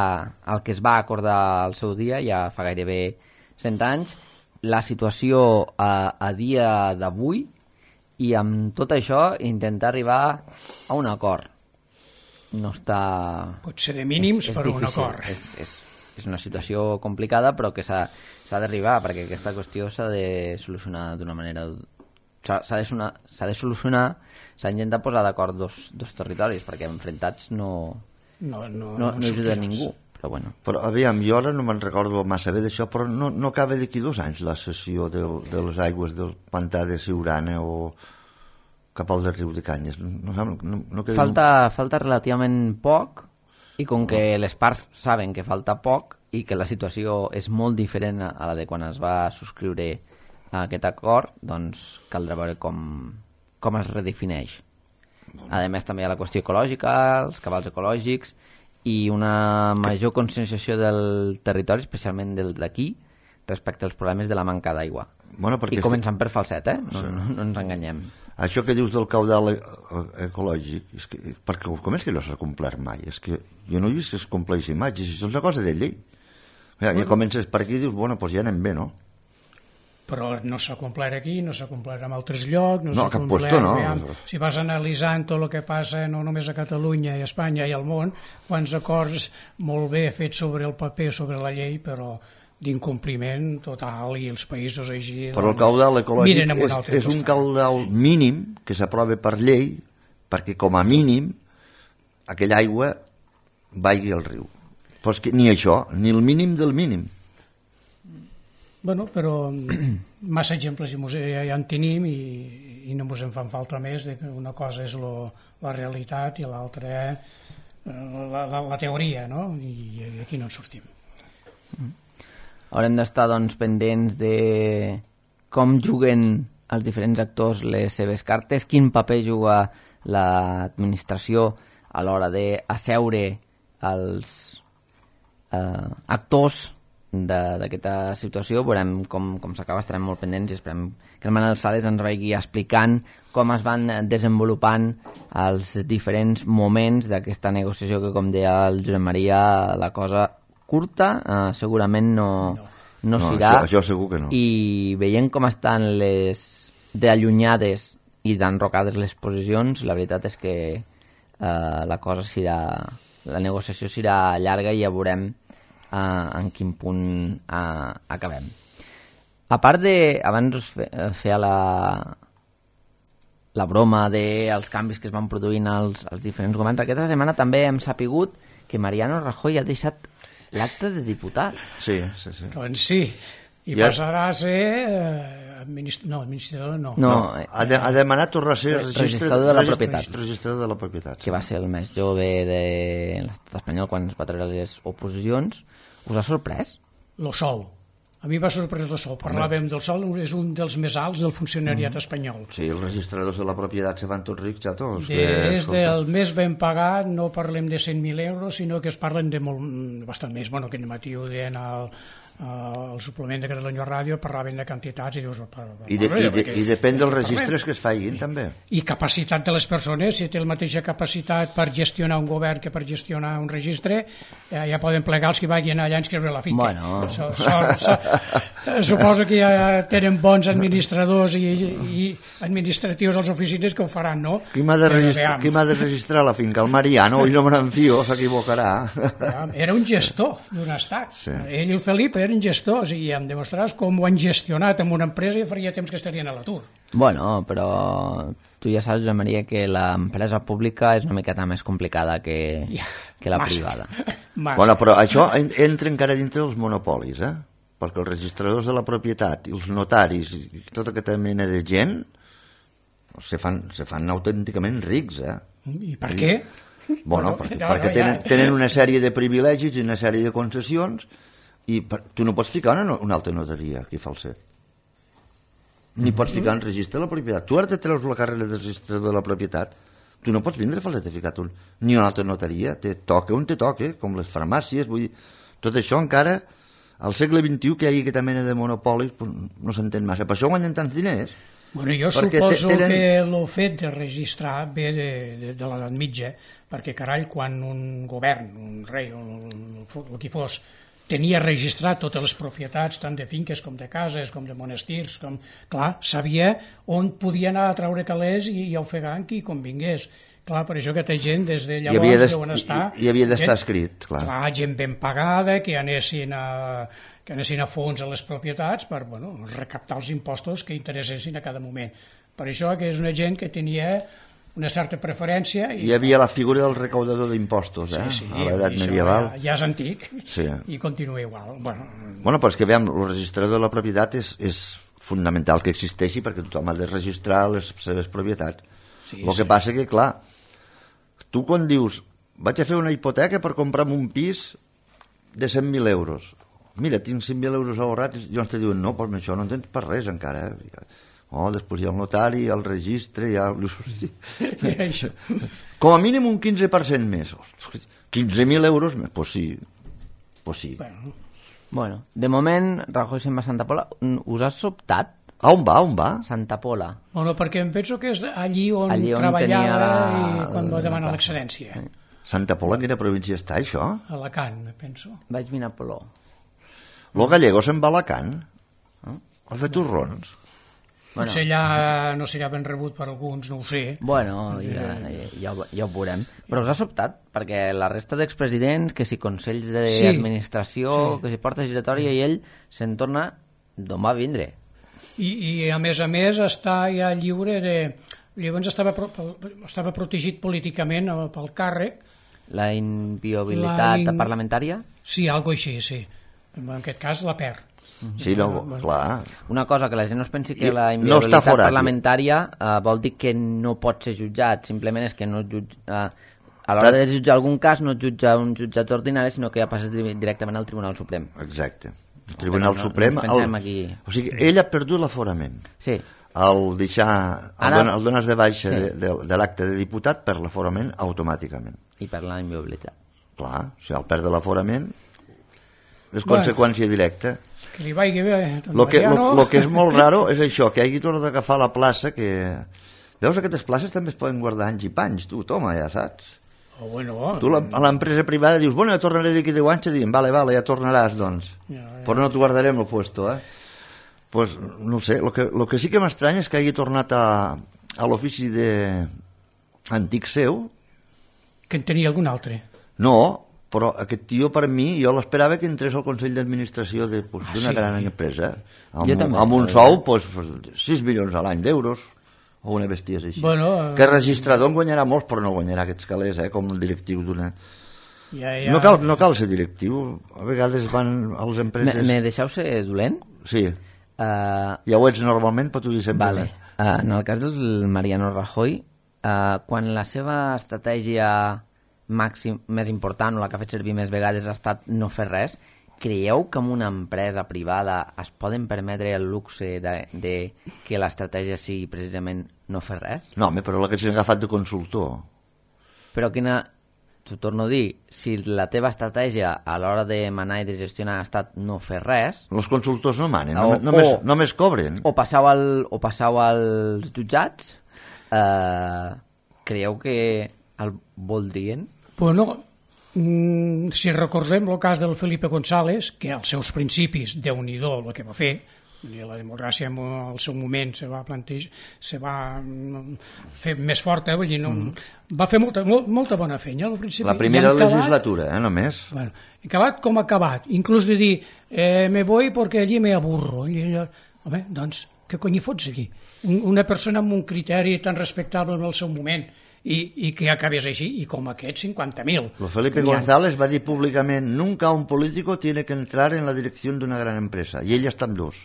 el que es va acordar al seu dia, ja fa gairebé cent anys, la situació a, a dia d'avui, i amb tot això intentar arribar a un acord. No està... Pot ser de mínims, és, és però difícil. un acord. És, és, és una situació complicada, però que s'ha d'arribar, perquè aquesta qüestió s'ha de solucionar d'una manera... S'ha de, de solucionar, s'ha d'intentar posar d'acord dos, dos territoris, perquè enfrontats no, no, no, no, no, no ajuda a ningú. Però, bueno. Però aviam, jo ara no me'n recordo massa bé d'això, però no, no acaba d'aquí dos anys la sessió del, de les aigües del pantà de Siurana o cap al del riu de Canyes. No, no, no, no falta, falta relativament poc, i com que les parts saben que falta poc i que la situació és molt diferent a la de quan es va subscriure aquest acord, doncs caldrà veure com, com es redefineix. A més, també hi ha la qüestió ecològica, els cabals ecològics i una major conscienciació del territori, especialment del d'aquí, respecte als problemes de la manca d'aigua. Bueno, I començant per falset, eh? No, sí. no, no ens enganyem. Això que dius del caudal e ecològic, és que, perquè com és que no s'ha complert mai? És que jo no he vist que es compleixi mai, si això és una cosa de llei. Ja, ja comences per aquí i dius, bueno, doncs ja anem bé, no? Però no s'ha complert aquí, no s'ha complert en altres llocs, no, no s'ha cap complert... puesto, no. Veiem, si vas analitzant tot el que passa no només a Catalunya i a Espanya i al món, quants acords molt bé fets sobre el paper, sobre la llei, però d'incompliment total i els països així... Però el caudal ecològic un és, és un caudal mínim que s'aprova per llei perquè com a mínim aquella aigua vagi al riu. Però és que ni això, ni el mínim del mínim. Bueno, però massa exemples ja, ja en tenim i, i no ens en fan falta més, de que una cosa és lo, la realitat i l'altra la, la, la teoria, no? I, i aquí no en sortim. Haurem d'estar doncs, pendents de com juguen els diferents actors les seves cartes, quin paper juga l'administració a l'hora d'asseure els eh, actors d'aquesta situació. Veurem com, com s'acaba, estarem molt pendents i esperem que el Manel Sales ens vagi explicant com es van desenvolupant els diferents moments d'aquesta negociació que, com deia el Josep Maria, la cosa curta eh, segurament no, no. no, no serà. Això, això segur que no. I veient com estan les d'allunyades i d'enrocades les posicions, la veritat és que eh, la cosa serà, la negociació serà llarga i ja veurem Uh, en quin punt uh, acabem. A part de, abans us fe, feia la la broma dels canvis que es van produint als, als diferents governs, aquesta setmana també hem sapigut que Mariano Rajoy ha deixat l'acte de diputat. Sí, sí, sí. Doncs sí, i ja passarà a ser eh, administ... no, administrador no. no, no eh, ha, de, ha demanat tornar a ser registrador de la registre, propietat. Registrador de la propietat. Que va ser el més jove de l'estat espanyol quan es va treure les oposicions. Us ha sorprès? Lo sou. A mi va sorprendre el sou. Parlàvem del sou, és un dels més alts del funcionariat espanyol. Sí, els registradors de la propietat se van tots rics, ja tots. Des del més ben pagat no parlem de cent mil euros, sinó que es parlen de molt, bastant més. Bueno, que el matí ho deien al, al suplement de Catalunya Ràdio, parlaven de quantitats i dius... I, de, i, de, i depèn dels registres que es facin, també. I capacitat de les persones, si té la mateixa capacitat per gestionar un govern que per gestionar un registre, ja, ja poden plegar els que vagin allà a inscriure la finca. Bueno. So, so, so, suposo que ja tenen bons administradors i, i administratius als oficines que ho faran, no? Qui m'ha de, registrar, qui m'ha de registrar la finca? El Mariano, i no me n'enfio, s'equivocarà. Era un gestor d'un estat. Sí. Ell i el Felip eren gestors i em demostraràs com ho han gestionat en una empresa i faria temps que estarien a l'atur. Bueno, però tu ja saps, Josep Maria, que l'empresa pública és una miqueta més complicada que, que la Massa. privada. Massa. Bueno, però això entra encara dintre dels monopolis, eh? Perquè els registradors de la propietat i els notaris i tota aquesta mena de gent se fan, se fan autènticament rics, eh? I per què? Bueno, perquè, no, perquè no, tenen, ja... tenen una sèrie de privilegis i una sèrie de concessions i per, tu no pots ficar una, una altra notaria aquí falset. Ni pots ficar en registre de la propietat. Tu ara te treus la carrera de registrador de la propietat, tu no pots vindre falset a ficar tu ni una altra notaria, te toca on te toca, com les farmàcies, vull dir, tot això encara al segle vint-i-u que hi hagi aquesta mena de monopolis pues, no s'entén massa, per això guanyen tants diners. Bueno, jo suposo tenen... que el fet de registrar ve de, de, de l'edat mitja, perquè carai, quan un govern, un rei o el, el qui fos, tenia registrat totes les propietats, tant de finques com de cases, com de monestirs, com... clar, sabia on podia anar a treure calés i, i ofegar qui convingués. Clar, per això aquesta gent des de llavors deuen estar... Hi havia d'estar escrit, clar. Clar, gent ben pagada, que anessin a, que anessin a fons a les propietats per bueno, recaptar els impostos que interessessin a cada moment. Per això que és una gent que tenia una certa preferència. I... Hi havia la figura del recaudador d'impostos, eh? Sí, sí, a l'edat medieval. Ja, ja és antic sí. I continua igual. Bueno, bueno però és que veiem, el registrador de la propietat és, és fundamental que existeixi perquè tothom ha de registrar les seves propietats. Sí, el sí. que passa que, clar, tu quan dius vaig a fer una hipoteca per comprar un pis de cent mil euros, mira, tinc cent mil euros ahorrats, i llavors te diuen, no, però això no en tens per res encara, eh? Oh, després hi ha el notari, hi ha el registre, hi ha... Com a mínim un quinze per cent més. quinze mil euros més, doncs sí. Pues sí. Bueno. Bueno, de moment, Rajoy se'n va a Santa Pola. Us has sobtat? A on va, on va? Santa Pola. Bueno, perquè em penso que és allí on, allí on treballava la... i quan va demanar l'excedència. Santa Pola, en quina província està, això? Alacant, penso. Vaig mirar Poló. Lo gallego se'n va a Alacant. Eh? Ha fet torrons. Bueno. Potser allà no serà ben rebut per alguns, no ho sé. Bueno, ja, ja, ja ho veurem. Però us ha sobtat, perquè la resta d'expresidents, que si consells d'administració, sí, sí. que si porta giratòria, i ell se'n torna d'on va vindre. I, I a més a més està ja lliure de... Llavors estava, estava protegit políticament pel càrrec. La inviolabilitat la in... parlamentària? Sí, algo així, sí. En aquest cas la perd. Sí, no, clar. Una cosa que la gent no es pensi que la inviolabilitat no parlamentària uh, vol dir que no pot ser jutjat, simplement és que no jutja, uh, a l'hora de jutjar algun cas no jutja un jutjat ordinari, sinó que ja passes directament al Tribunal Suprem. Exacte. El Tribunal no, Suprem... No el... aquí... O sigui, ell ha perdut l'aforament. Sí. Al deixar... Ara... El dones de baixa sí. de, de, de l'acte de diputat per l'aforament automàticament. I per la inviolabilitat. Clar, si el perd l'aforament és bueno. Conseqüència directa. Que li vagi bé. Lo que, lo, lo que és molt raro és això, que hagi tornat a agafar la plaça que... Veus, aquestes places també es poden guardar anys i panys, tu, toma, ja saps. Oh, bueno, tu la, a l'empresa privada dius, bueno, ja tornaré d'aquí deu anys, i diuen, vale, vale, ja tornaràs, doncs. Ja, ja. Però no t'ho guardarem el puesto, eh? Pues, no sé, lo que, lo que sí que m'estranya és que hagi tornat a, a l'ofici de... antic seu. Que en tenia algun altre. No, però aquest tio, per mi, jo l'esperava que entrés al Consell d'Administració d'una pues, ah, sí. gran empresa, amb, també, amb un sou pues, sis milions a l'any d'euros, o una bestiesa així. Bueno, que el registrador en guanyarà molts, però no guanyarà aquests calés, eh, com el directiu d'una... Ja, ja. No, cal, no cal ser directiu, a vegades van a les empreses... Me, me deixeu ser dolent? Sí, uh, ja ho ets normalment, però t'ho dic sempre. Vale. Uh, en el cas del Mariano Rajoy, uh, quan la seva estratègia... màxim, més important, o la que ha fet servir més vegades ha estat no fer res, creieu que en una empresa privada es poden permetre el luxe de, de que l'estratègia sigui precisament no fer res? No, home, però la que s'ha agafat de consultor. Però quina... T'ho torno a dir, si la teva estratègia a l'hora de manar i de gestionar ha estat no fer res... Els consultors no manen, o, només, o, només cobren. O passau, al, o passau als jutjats, eh, creieu que el voldrien? Bueno, mm, si recordem el cas del Felipe González, que als seus principis, Déu-n'hi-do el que va fer, la democràcia en el seu moment se va plantejar, se va fer més forta, vull dir, no, mm. va fer molta, molt, molta bona feina al principi. La primera acabat, legislatura, eh, només. Bueno, acabat com acabat, inclús de dir, eh, me voy porque allí me aburro. I allò, home, doncs, què cony hi fots allí? Una persona amb un criteri tan respectable en el seu moment, I, i que acabés així, i com aquest, cinquanta mil. Lo Felipe González va dir públicament, nunca un político tiene que entrar en la direcció d'una gran empresa, i ell està amb dos.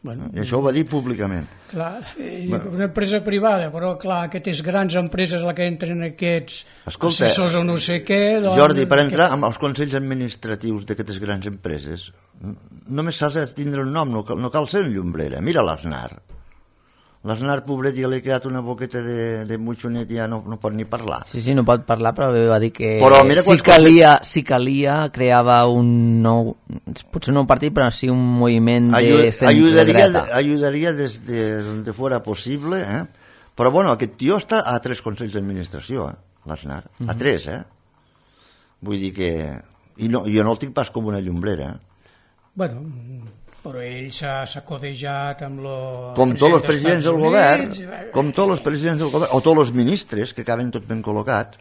Bueno, I això ho va dir públicament. Clar, bueno. Una empresa privada, però clar, aquestes grans empreses a la que entren aquests Escolta, assessors o no sé què... Doncs, Jordi, per entrar que... als consells administratius d'aquestes grans empreses, només s'ha de tindre un nom, no cal, no cal ser un llombrera. Mira l'Aznar. L'Aznar, pobret, ja li ha quedat una boqueta de, de mutxonet i ja no, no pot ni parlar. Sí, sí, no pot parlar, però va dir que si calia, si calia creava un nou, potser no un partit, però sí un moviment Ayud, de centre-dreta. Ayudaria des de donde fuera possible, eh? Però bueno, aquest tio està a tres consells d'administració, eh? l'Aznar, a uh-huh. tres, eh? Vull dir que... I no, jo no el tinc pas com una llombrera, eh? Bueno... però ell s'ha codejat amb lo... Com tots els presidents del govern, com tots els presidents del govern, o tots els ministres, que acaben tots ben col·locats.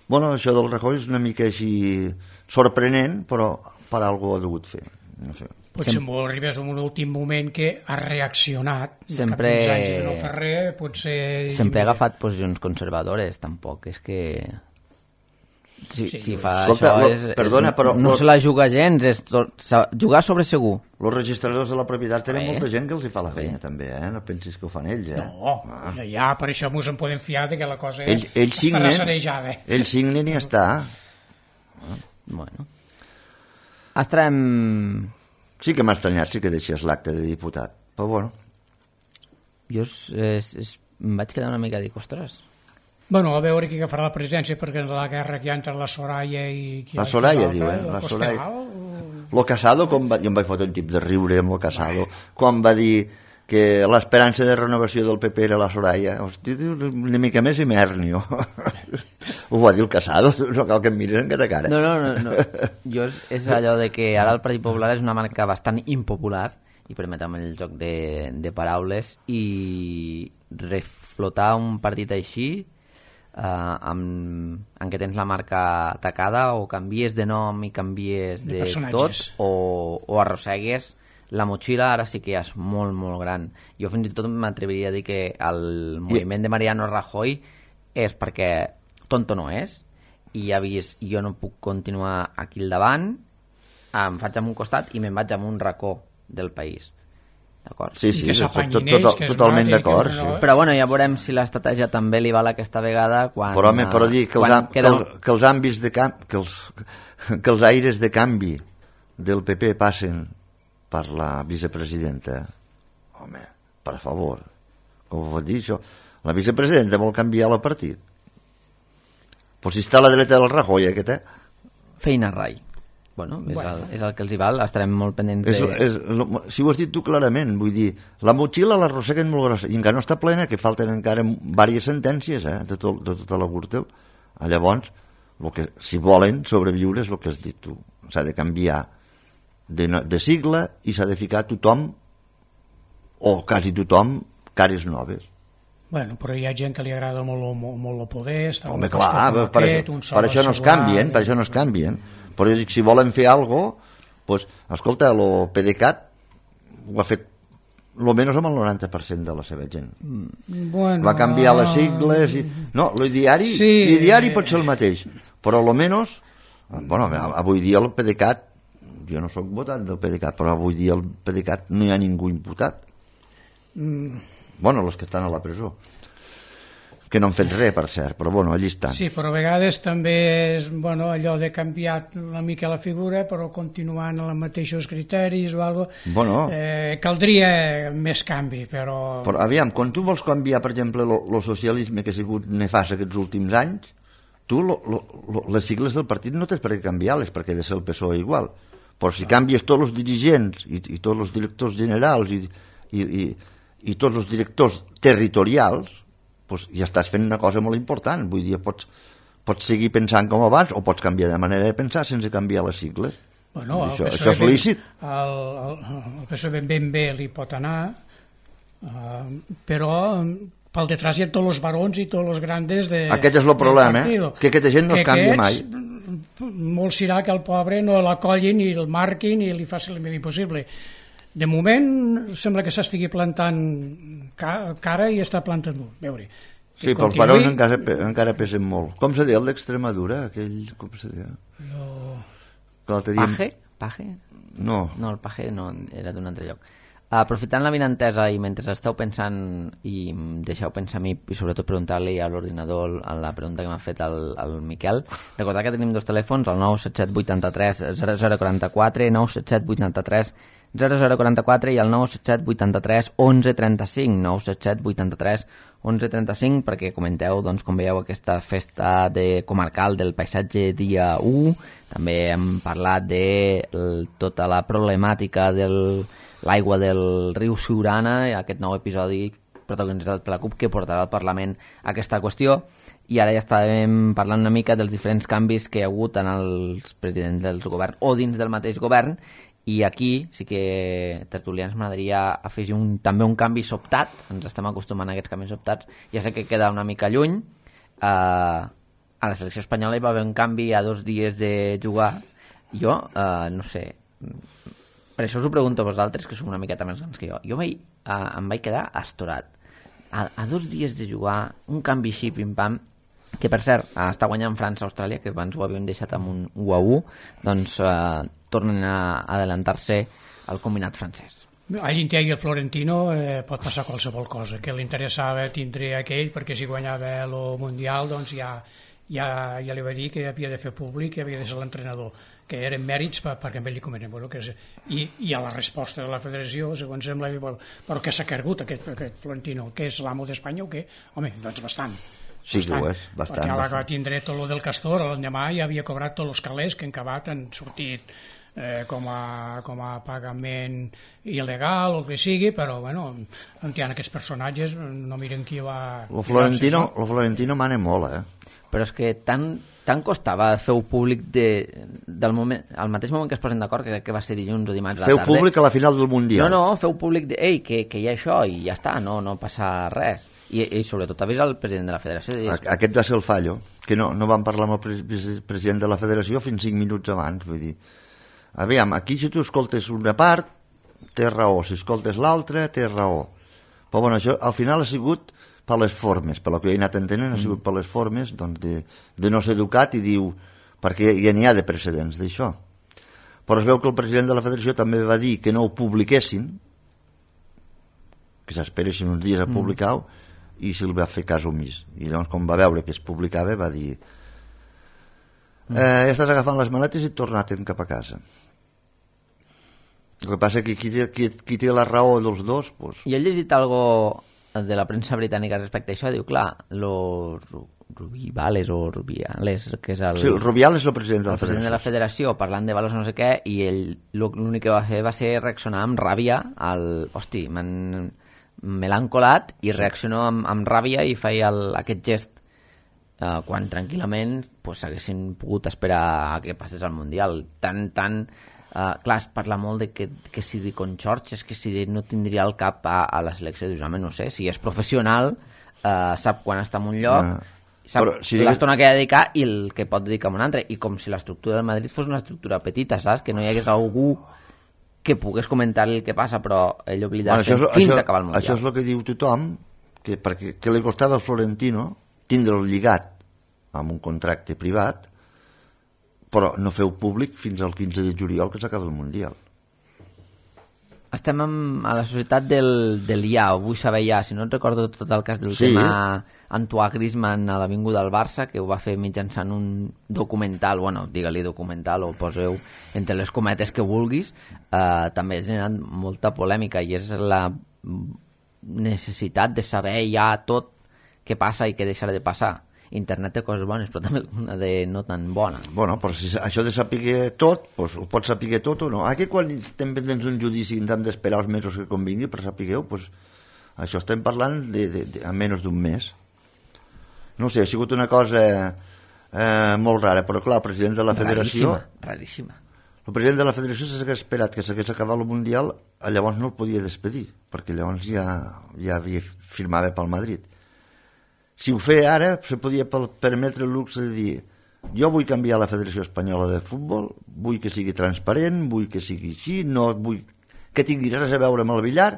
Bueno, això del Rajoy és una mica així sorprenent, però per algú ho ha degut fer. No sé. Potser m'ho arribés en un últim moment que ha reaccionat. Sempre... Cap uns anys que no fa res, potser... Sempre ha agafat posicions conservadores, tampoc, és que... Si, sí, si fa escolta, això lo, és, perdona, però, no lo, se la juga gens, és tot, jugar sobre segur. Els registradors de la propietat tenen eh? molta gent que els hi fa la feina, també, eh? No pensis que ho fan ells, eh? No, ah. ja, ja, per això mos en podem fiar que la cosa ell, ell estarà sanejada. Ell signen i ja està. Ah. Bueno. Estarem... Sí que m'ha estranyat, sí que deixés l'acte de diputat, però bueno. jo és, és, és, em vaig quedar una mica dic, ostres. Bueno, a veure qui agafarà la presidència, perquè en la guerra que hi ha entre la Soraya i... La Soraya, diu, eh? La Soraya. Lo Casado, com va... jo em vaig fotre un tip de riure amb lo Casado, quan va dir que l'esperança de renovació del P P era la Soraya. Hosti, una mica més i m'hernio. Ho va dir el Casado, no cal que em miris en aquesta cara. No, no, no. no. Jo és, és allò de que ara el Partit Popular és una marca bastant impopular, i permetem el joc de, de paraules, i reflotar un partit així, Uh, amb, en què tens la marca atacada, o canvies de nom i canvies de, de tot, o, o arrossegues la motxilla, ara sí que ja és molt, molt gran. Jo fins i tot m'atreviria a dir que el moviment de Mariano Rajoy és perquè tonto no és, i ja ha vist, jo no puc continuar aquí al davant, em faig amb un costat i me'n vaig amb un racó del país. D'acord? Sí, sí, tot, tot, tot, totalment d'acord. Sí. Però bueno, ja veurem si l'estratègia també li val aquesta vegada quan... Però home, però dir que els, am, queda... que, el, que els àmbits de camp, que els, que els aires de canvi del P P passen per la vicepresidenta, home, per favor, com ho pot dir això? La vicepresidenta vol canviar el partit. Pues si està a la dreta del Rajoy, aquest, eh? Feina rai. Bueno, és, bueno. El, és el que els hi val, estarem molt pendents és, de... És, si ho has dit tu clarament, vull dir, la motxilla l'arrosseguen molt grossa, i encara no està plena, que falten encara diverses sentències, eh, de, tot, de tota la Gürtel. Llavors, lo que, si volen sobreviure és el que has dit tu, s'ha de canviar de, de sigla i s'ha de ficar tothom, o quasi tothom, cares noves. Bueno, però hi ha gent que li agrada molt, molt, molt el poder. Home, clar, per, aquest, això, per això no es canvien, per això no es canvien. Però jo dic, si volen fer alguna cosa, pues, escolta, el PDeCAT ho ha fet lo menys amb el noranta per cent de la seva gent. Bueno, va canviar les sigles i... No, l'ideari sí. l'ideari pot ser el mateix, però lo menys, bueno, avui dia el PDeCAT, jo no sóc votat del PDeCAT, però avui dia el PDeCAT no hi ha ningú imputat. Mm. Bueno, els que estan a la presó, que no han fet res, per cert, però bueno, allí estan. Sí, però a vegades també és bueno, allò de canviar una mica la figura, però continuant amb els mateixos criteris o alguna cosa. Bueno, eh, caldria més canvi, però... Però aviam, quan tu vols canviar, per exemple, el socialisme que ha sigut nefast aquests últims anys, tu lo, lo, lo, les sigles del partit no tens per què canviar-les, perquè ha de ser el P S O E igual. Però si canvies tots els dirigents i, i tots els directors generals i, i, i, i tots els directors territorials, pues ja estàs fent una cosa molt important. Vull dir, pots, pots seguir pensant com abans o pots canviar de manera de pensar sense canviar les sigles. Bueno, això, això és lícit. El, el, el P S O E ben, ben bé li pot anar, uh, però pel detrás hi ha tots els barons i tots els grandes de... Aquest és el problema, eh? Que aquesta gent no es canvia mai. Molt serà que el pobre no l'acollin i el marquin i li facin el més impossible. De moment sembla que s'estigui plantant cara i està plantant molt. Veure. Sí, però els barons encara, encara pesen molt. Com se diu el d'Extremadura? Aquell, com se diu? No. Paje? Paje? No. No, el Paje no, era d'un altre lloc. Aprofitant la vinentesa i mentre esteu pensant, i deixeu pensar a mi i sobretot preguntar-li a l'ordinador a la pregunta que m'ha fet el, el Miquel, recordar que tenim dos telèfons, el nou set set vuit tres zero zero quatre quatre, nou set set vuit tres zero zero quatre quatre i el nou set set vuit tres onze trenta cinc, nou set set vuit tres onze trenta cinc, perquè comenteu, doncs, com veieu, aquesta festa de comarcal del paisatge dia u. També hem parlat de el, tota la problemàtica de l'aigua del riu Siurana, aquest nou episodi protagonitzat per la CUP que portarà al Parlament aquesta qüestió. I ara ja estàvem parlant una mica dels diferents canvis que hi ha hagut en els presidents del govern o dins del mateix govern. I aquí sí que, tertulians, m'agradaria afegir un, també un canvi sobtat. Ens estem acostumant a aquests canvis sobtats. Ja sé que queda una mica lluny. Uh, a la selecció espanyola hi va haver un canvi a dos dies de jugar. Jo, uh, no sé, per això us ho pregunto a vosaltres, que sou una miqueta més grans que jo. Jo vaig, uh, em vaig quedar astorat. A, a dos dies de jugar, un canvi així, pim-pam, que per cert, uh, està guanyant França-Austràlia, que abans ho havíem deixat amb un u a u, doncs... Uh, tornen a adelantar-se al combinat francès. A l'Inter i el Florentino eh, pot passar qualsevol cosa, que li interessava tindre aquell, perquè si guanyava el Mundial doncs ja, ja, ja li va dir que havia de fer públic, que havia de ser l'entrenador, que eren mèrits per, perquè amb ell li comenten. Bueno, que és, i, I a la resposta de la federació, segons sembla, bueno, però què s'ha cargut aquest, aquest Florentino? Que és l'amo d'Espanya o què? Home, doncs bastant. Sí, bastant, ho és, bastant. Perquè bastant. va tindre tot el del Castor, l'endemà ja havia cobrat tots els calés que en acabat han sortit eh, com, a, com a pagament il·legal o el que sigui, però bueno, on hi ha aquests personatges, no miren qui va... Lo Florentino, lo Florentino mana molt, eh? Però és que tant, tant costava fer-ho públic de, del moment, al mateix moment que es posen d'acord, que, que va ser dilluns o dimarts a la tarda. Feu públic a la final del Mundial. No, no, feu públic de, ei, que, que hi ha això i ja està, no, no passa res. I, i sobretot avisa el president de la federació. De dir, aquest va ser el fallo, que no, no van parlar amb el pre president de la federació fins cinc minuts abans. Vull dir, aviam, aquí si tu escoltes una part, té raó, si escoltes l'altra, té raó. Però bueno, això al final ha sigut per les formes, per el que jo he anat entenent, ha sigut per les formes doncs, de, de no ser educat i diu, perquè ja n'hi ha de precedents d'això. Però es veu que el president de la federació també va dir que no ho publiquessin, que s'esperessin uns dies a publicar-ho, mm. i se'l va fer cas omís. I llavors, quan va veure que es publicava, va dir eh, ja estàs agafant les maletes i torna't cap a casa. El que passa que qui té, qui, qui té la raó dels dos... Pues... I he llegit algo de la premsa britànica respecte a això, diu, clar, los Rubiales o Rubiales, que és el... Sí, el Rubiales és el president de la el president federació. de la federació, parlant de valors no sé què, i ell l'únic que va fer va ser reaccionar amb ràbia al... Hosti, me l'han colat, i reaccionó amb, amb ràbia i feia el, aquest gest eh, quan tranquil·lament pues, haguessin pogut esperar a que passés al Mundial. Tan, tan... Uh, clar, es parla molt de que, que si di Conxorx és que si no tindria el cap a, a la selecció, dius, home, no sé, si és professional uh, sap quan està en un lloc, uh, sap si l'estona digues... que ha de dedicar i el que pot dedicar a un altre, i com si l'estructura del Madrid fos una estructura petita, saps? Que no hi hagués algú que pogués comentar el que passa, però ell oblidar-se bueno, fins això, a acabar el Mundial. Això és el que diu tothom, que, perquè, que li costava al Florentino tindre'l lligat amb un contracte privat, però no feu públic fins al quinze de juliol que s'acaba el Mundial. Estem amb, a la societat del, del ja, o vull saber ja, si no et recordo tot el cas del sí. tema Antoine Griezmann a l'avinguda del Barça, que ho va fer mitjançant un documental, bueno, digue-li documental o poseu entre les cometes que vulguis, eh, també ha generat molta polèmica i és la necessitat de saber ja tot què passa i què deixarà de passar. Internet té coses bones, però també una de no tan bona. Bueno, però si això de saber tot, pues, ho pots saber tot o no. Aquí quan estem pendents d'un judici hem d'esperar els mesos que convingui per saber-ho, pues, això estem parlant de, de, de, a menys d'un mes. No sé, ha sigut una cosa eh, molt rara, però clar, el president de la federació... Raríssima, raríssima. El president de la federació s'hagués esperat que s'hagués acabat el Mundial, llavors no el podia despedir, perquè llavors ja, ja havia firmava pel Madrid. Si ho feia ara, se podia permetre el luxe de dir jo vull canviar la Federació Espanyola de Futbol, vull que sigui transparent, vull que sigui així, no vull que tingui res a veure amb el billar,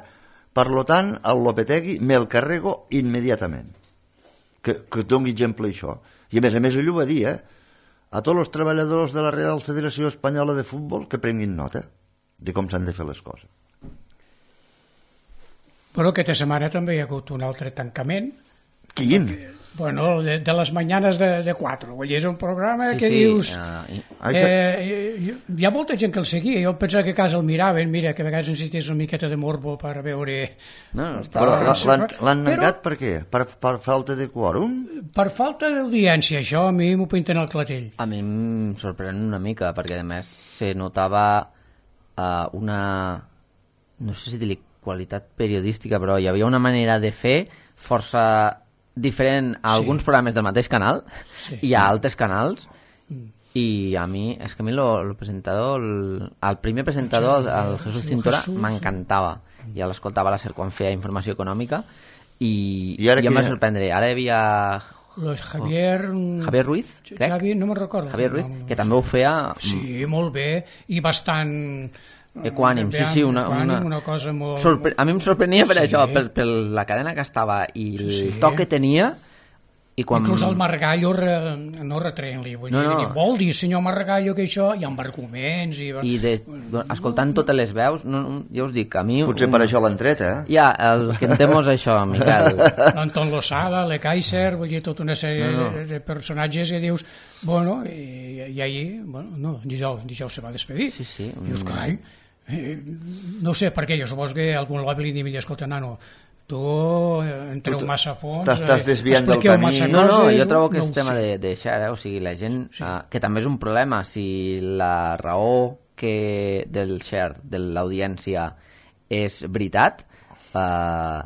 per tant, el Lopetegui me'l carrego immediatament. Que, que doni exemple això. I a més a més ell ho va dir, eh? A tots els treballadors de la Real Federació Espanyola de Futbol que prenguin nota de com s'han de fer les coses. Però aquesta setmana també hi ha hagut un altre tancament. Quin? Bueno, de, de les mañanes de, de quatre. Vull dir, és un programa sí, que sí, dius... Uh, i... Eh, hi ha molta gent que el seguia. Jo pensava que a casa el miraven, mira, que a vegades necessites una miqueta de morbo per veure... No, no, està... Però l'han negat per què? Per, per falta de quòrum? Per falta d'audiència, això a mi m'ho pinten al clatell. A mi em sorprèn una mica, perquè a més se notava uh, una... no sé si dir qualitat periodística, però hi havia una manera de fer força... diferent a alguns sí. programes del mateix canal sí. i a altres canals mm. i a mi, és que a mi lo, lo presentador el, el primer presentador el Jesús Cintora m'encantava i l'escoltava a la SER quan feia informació econòmica i, I, i em va sorprendre, ara hi havia Los Javier... Oh, Javier Ruiz, crec Javier, no me'n recordo Javier Ruiz, no, no, que també ho feia sí, molt bé i bastant equànim, sí, sí, una, una, una cosa molt... Sorpre... A mi em sorprenia per sí. això, per, per la cadena que estava i el sí. toc que tenia I quan... Inclús el Margallo re, no retreien-li, vull no, dir, no. dir, vol dir, senyor Margallo, que això, hi ha arguments... I, I de, escoltant totes les veus, no, ja us dic, a mi... Potser un... per això l'han tret, eh? Ja, el que entenc és això, Miquel. L'Anton Losada, le Kaiser, vull dir, tota una sèrie no, no. De, de personatges que dius, bueno, i, i ahir, bueno, no, dijous, dijous se va despedir. Sí, sí. Dius, carai, eh, no sé per què, jo supos que algun lobby li diria, escolta, nano, tu entreu tu massa a fons, t'estàs desviant del camí. No, no, jo trobo que és tema de, de xer, eh? O sigui, la gent, sí. uh, que també és un problema, si la raó que del share, de l'audiència, és veritat, uh,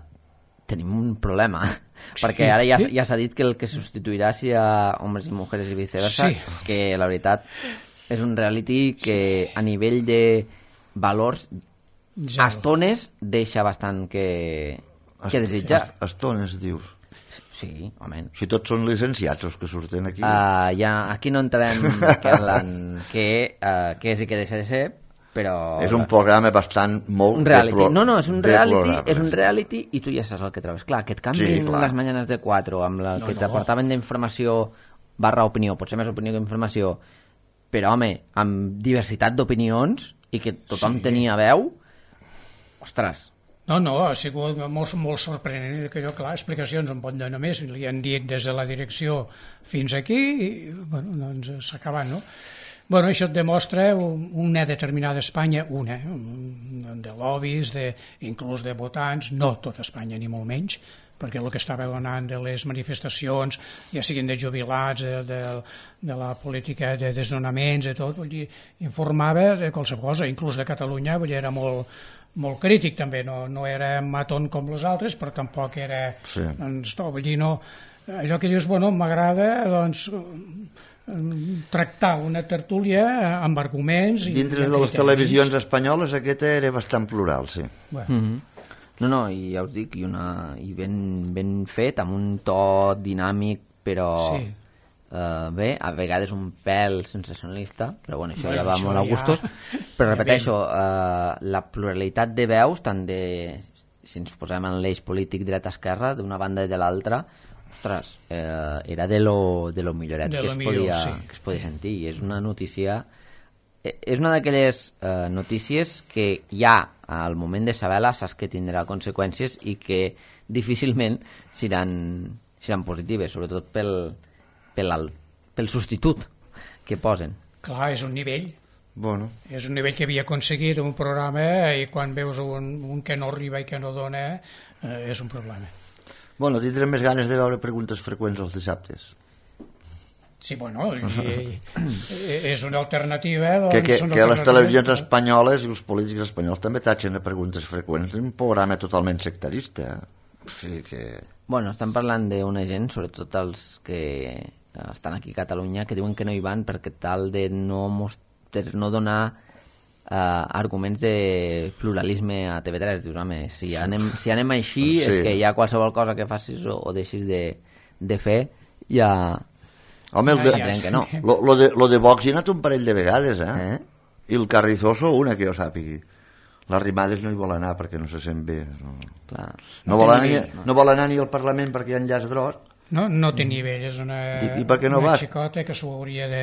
tenim un problema, sí. perquè ara ja, ja s'ha dit que el que substituirà serà homes i mujeres i viceversa, sí. que la veritat és un reality que sí. a nivell de valors, a estones, deixa bastant que... Què desitjar? Estones, dius. Sí, home. Si tots són licenciats els que surten aquí. Uh, ja, aquí no entrarem que, que, uh, que és i que deixa de ser, però... És un programa bastant molt... Un reality. Pro... No, no, és un reality, programa. és un reality i tu ja saps el que trobes. Clar, que et canvin sí, les mañanes de quatre amb la no, que t'aportaven no. d'informació barra opinió, potser més opinió que informació, però, home, amb diversitat d'opinions i que tothom sí. tenia veu, ostres... No, no, ha sigut molt, molt sorprenent, que jo, clar, explicacions en pot donar més, li han dit des de la direcció fins aquí, i, bueno, doncs s'ha acabat, no? Bueno, això et demostra una determinada Espanya, una, de lobbies, de, inclús de votants, no tota Espanya, ni molt menys, perquè el que estava donant de les manifestacions, ja siguin de jubilats, de, de, de la política de desnonaments, de tot, vull dir, informava de qualsevol cosa, inclús de Catalunya, vull dir, era molt... molt crític també, no, no era matón com els altres, però tampoc era sí. doncs, no, vull dir, no, allò que dius, bueno, m'agrada doncs tractar una tertúlia amb arguments dintre i de les televisions espanyoles aquesta era bastant plural, sí. Bueno. Mm-hmm. No, no, i ja us dic, i, una, i ben, ben fet, amb un to dinàmic, però sí. Uh, bé, a vegades un pèl sensacionalista, però bueno, això bueno, ja va això molt a gustos, ja... però repeteixo, uh, la pluralitat de veus, tant de, si ens posem en l'eix polític dreta-esquerra, d'una banda i de l'altra, ostres, uh, era de lo, de lo milloret de que, lo es millor, podia, sí. que es podia sentir, i és una notícia, és una d'aquelles uh, notícies que ja al moment de saber-la saps que tindrà conseqüències i que difícilment seran, seran positives, sobretot pel Pel, pel substitut que posen. Clar, és un nivell. Bueno. És un nivell que havia aconseguit un programa i quan veus un, un que no arriba i que no dona, eh, és un problema. Bueno, tindrem més ganes de veure preguntes freqüents els dissabtes. Sí, bueno, i, i, és una alternativa. Doncs, que que, que les televisions espanyoles i els polítics espanyols també tatxen de preguntes freqüents. És un programa totalment sectarista. O sigui que... Bueno, estem parlant d'una gent, sobretot els que estan aquí a Catalunya, que diuen que no hi van perquè tal de no, de no donar uh, arguments de pluralisme a T V tres. Dius, home, si anem, si anem així sí. és que ja qualsevol cosa que facis o, o deixis de, de fer ja... Home, el de, ja, ja. que no. Lo, lo, de, lo de Vox hi ha anat un parell de vegades, eh? eh? I el Carrizoso una, que jo sàpigui. Les Rimades no hi vol anar perquè no se sent bé. No, Clar. no, vol, anar, no. no vol anar ni al Parlament perquè hi ha enllaç gros. No, no té nivell, és una, I, i per què no una vas? xicota que s'ho hauria de,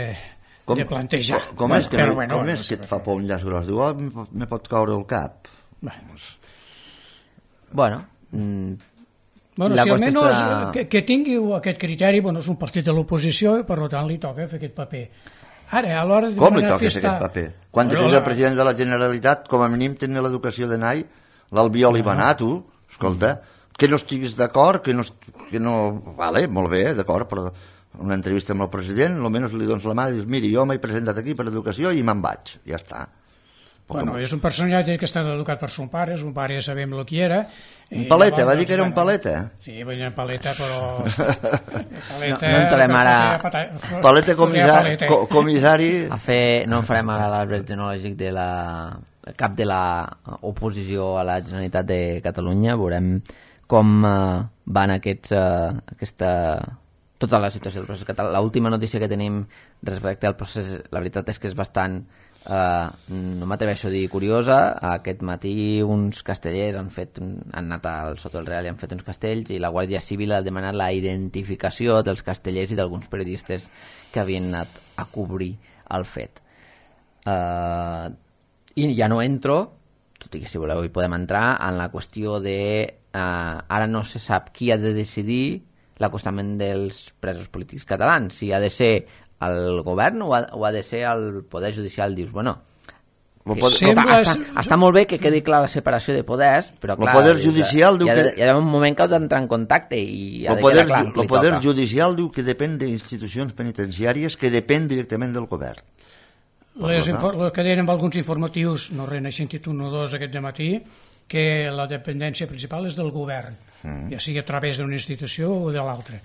com, de plantejar. Com, com és que, però, no, bueno, com no és sé que et fa por un llaç gros? Diu, oh, me pot caure el cap. Bueno, bueno, mm, bueno si almenys estarà... que, que tingui aquest criteri, bueno, és un partit de l'oposició i per tant li toca fer aquest paper. Ara, a l'hora de com li toca festa... aquest paper? Quan però, és el president de la Generalitat, com a mínim tenia l'educació de nai, l'Albiol hi va anar, tu, escolta, que no estiguis d'acord, que no, que no... Vale, molt bé, d'acord, però una entrevista amb el president, almenys li dones la mà i dius, miri, jo m'he presentat aquí per educació i me'n vaig, ja està. Bueno, és un personatge que està educat per son pare, son pare ja sabem el que era. Un paleta, va dir que era un paleta. Sí, va dir un paleta, però... paleta, no, no entrarem ara... Paleta comissari... comissari... A fer, no farem ara l'arbre genològic de la... cap de la oposició a la Generalitat de Catalunya, veurem com uh, van aquests, uh, aquesta, tota la situació del procés català. L'última notícia que tenim respecte al procés, la veritat és que és bastant Uh, no m'atreveixo a dir curiosa. Aquest matí uns castellers han fet un, han anat al Soto del Real i han fet uns castells, i la Guàrdia Civil ha demanat la identificació dels castellers i d'alguns periodistes que havien anat a cobrir el fet. Uh, i ja no entro, tot i que si voleu hi podem entrar, en la qüestió de uh, ara no se sap qui ha de decidir l'acostament dels presos polítics catalans, si ha de ser el govern o ha, o ha de ser el Poder Judicial. Dius, bueno, Poder... Està, està, està molt bé que quedi clar la separació de poders, però clar, el Poder Judicial diu hi ha, que... hi ha un moment que heu d'entrar en contacte i ha el de poder, quedar clar. El Poder Judicial diu que depèn d'institucions penitenciàries que depèn directament del govern. Les infor- que deien amb alguns informatius, no res, n'he sentit un o dos aquest dematí, que la dependència principal és del govern, mm. ja sigui a través d'una institució o de l'altra.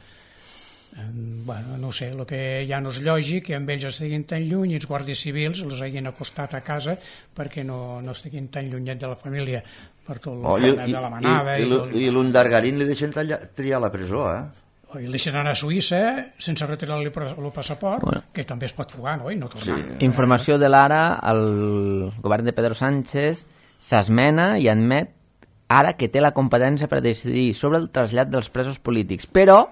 Bueno, no sé, el que ja no és lògic que amb ells estiguin tan lluny i els guàrdies civils els hagin acostat a casa perquè no, no estiguin tan llunyet de la família per tot el oh, que de la manada. I, i, i, i l'Undargarín li deixen tallar, triar la presó, eh? I li deixen anar a Suïssa sense retirar-li el passaport, bueno, que també es pot fugar, no? I no tornar. Sí. Informació de l'Ara, el govern de Pedro Sánchez s'esmena i admet ara que té la competència per decidir sobre el trasllat dels presos polítics, però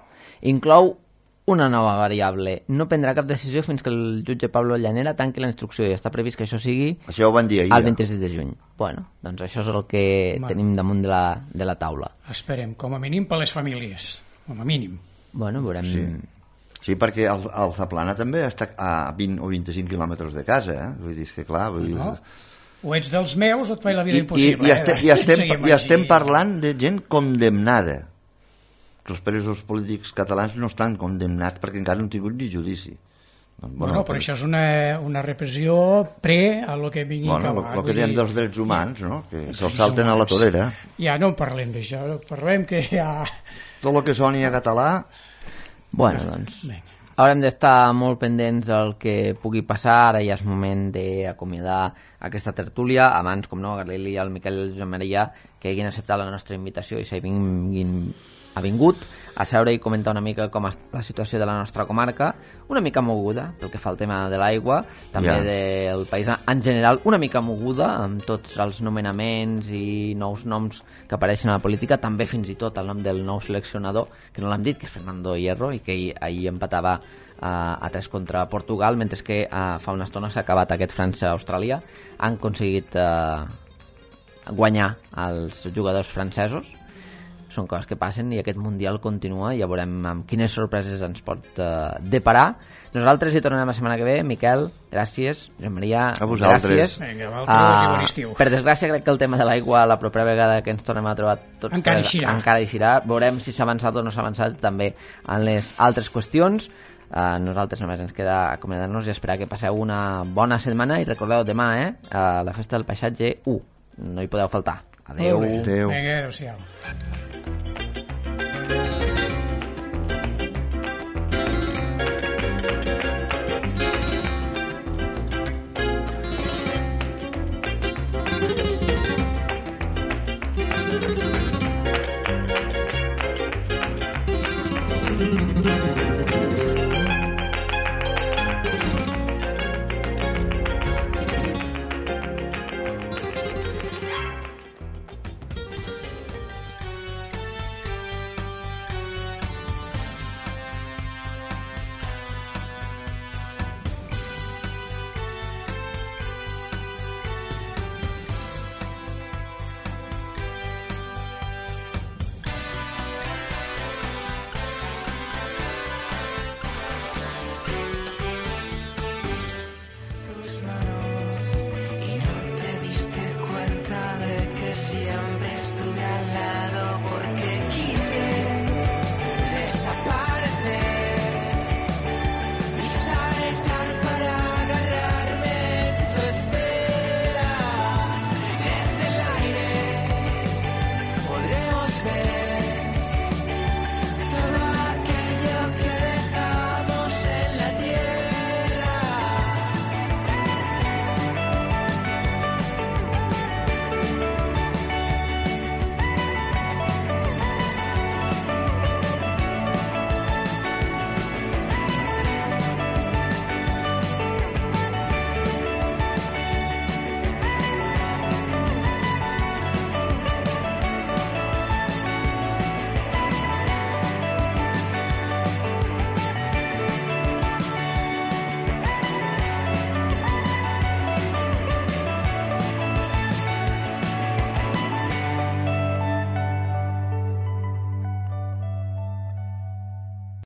inclou una nova variable. No prendrà cap decisió fins que el jutge Pablo Llanera tanqui la instrucció, i està previst que això sigui això ho van dir ahir, el vint-i-sis de juny. Bueno, doncs això és el que bueno, tenim damunt de la, de la taula. Esperem, com a mínim per les famílies, com a mínim. Bueno, veurem... Sí, sí, perquè el, el Zaplana també està a vint o vint-i-cinc quilòmetres de casa, eh? Vull dir, és que clar... Vull dir... No? O ets dels meus o et faig la vida I, impossible. I, i, eh? estem, i, estem, i estem parlant de gent condemnada. Els presos polítics catalans no estan condemnats perquè encara no han tingut ni judici. Bueno, bueno però això és una, una repressió pre a lo que vingui bueno, acabar. El que diem dels drets humans, no? Que se'ls salten a la torera. Ja no en parlem d'això, parlem que ja... Tot el que soni a català... Bueno, doncs... Haurem d'estar molt pendents del que pugui passar. Ara ja és moment d'acomiadar aquesta tertúlia. Abans, com no, agrair-li al Miquel i al Josep Maria que hagin acceptat la nostra invitació i s'hagin ha vingut a seure i comentar una mica com està la situació de la nostra comarca, una mica moguda pel que fa al tema de l'aigua, també yeah. del país en general, una mica moguda amb tots els nomenaments i nous noms que apareixen a la política, també fins i tot el nom del nou seleccionador, que no l'hem dit, que és Fernando Hierro, i que ahir empatava a, a tres contra Portugal, mentre que a, fa una estona s'ha acabat aquest França-Austràlia. Han aconseguit eh, guanyar els jugadors francesos. Són coses que passen i aquest Mundial continua i ja veurem amb quines sorpreses ens pot uh, deparar. Nosaltres hi tornarem la setmana que ve. Miquel, gràcies. Josep Maria, a vosaltres. Gràcies. Vinga, vosaltres uh, i bon estiu. Per desgràcia, crec que el tema de l'aigua la propera vegada que ens tornem a trobar tots encara eixirà. Encara eixirà. Veurem si s'ha avançat o no s'ha avançat també en les altres qüestions. Uh, nosaltres només ens queda acomiadar-nos i esperar que passeu una bona setmana i recordeu demà, eh, uh, la festa del paisatge u. No hi podeu faltar. Adéu. Adéu. Vinga, adéu-siau.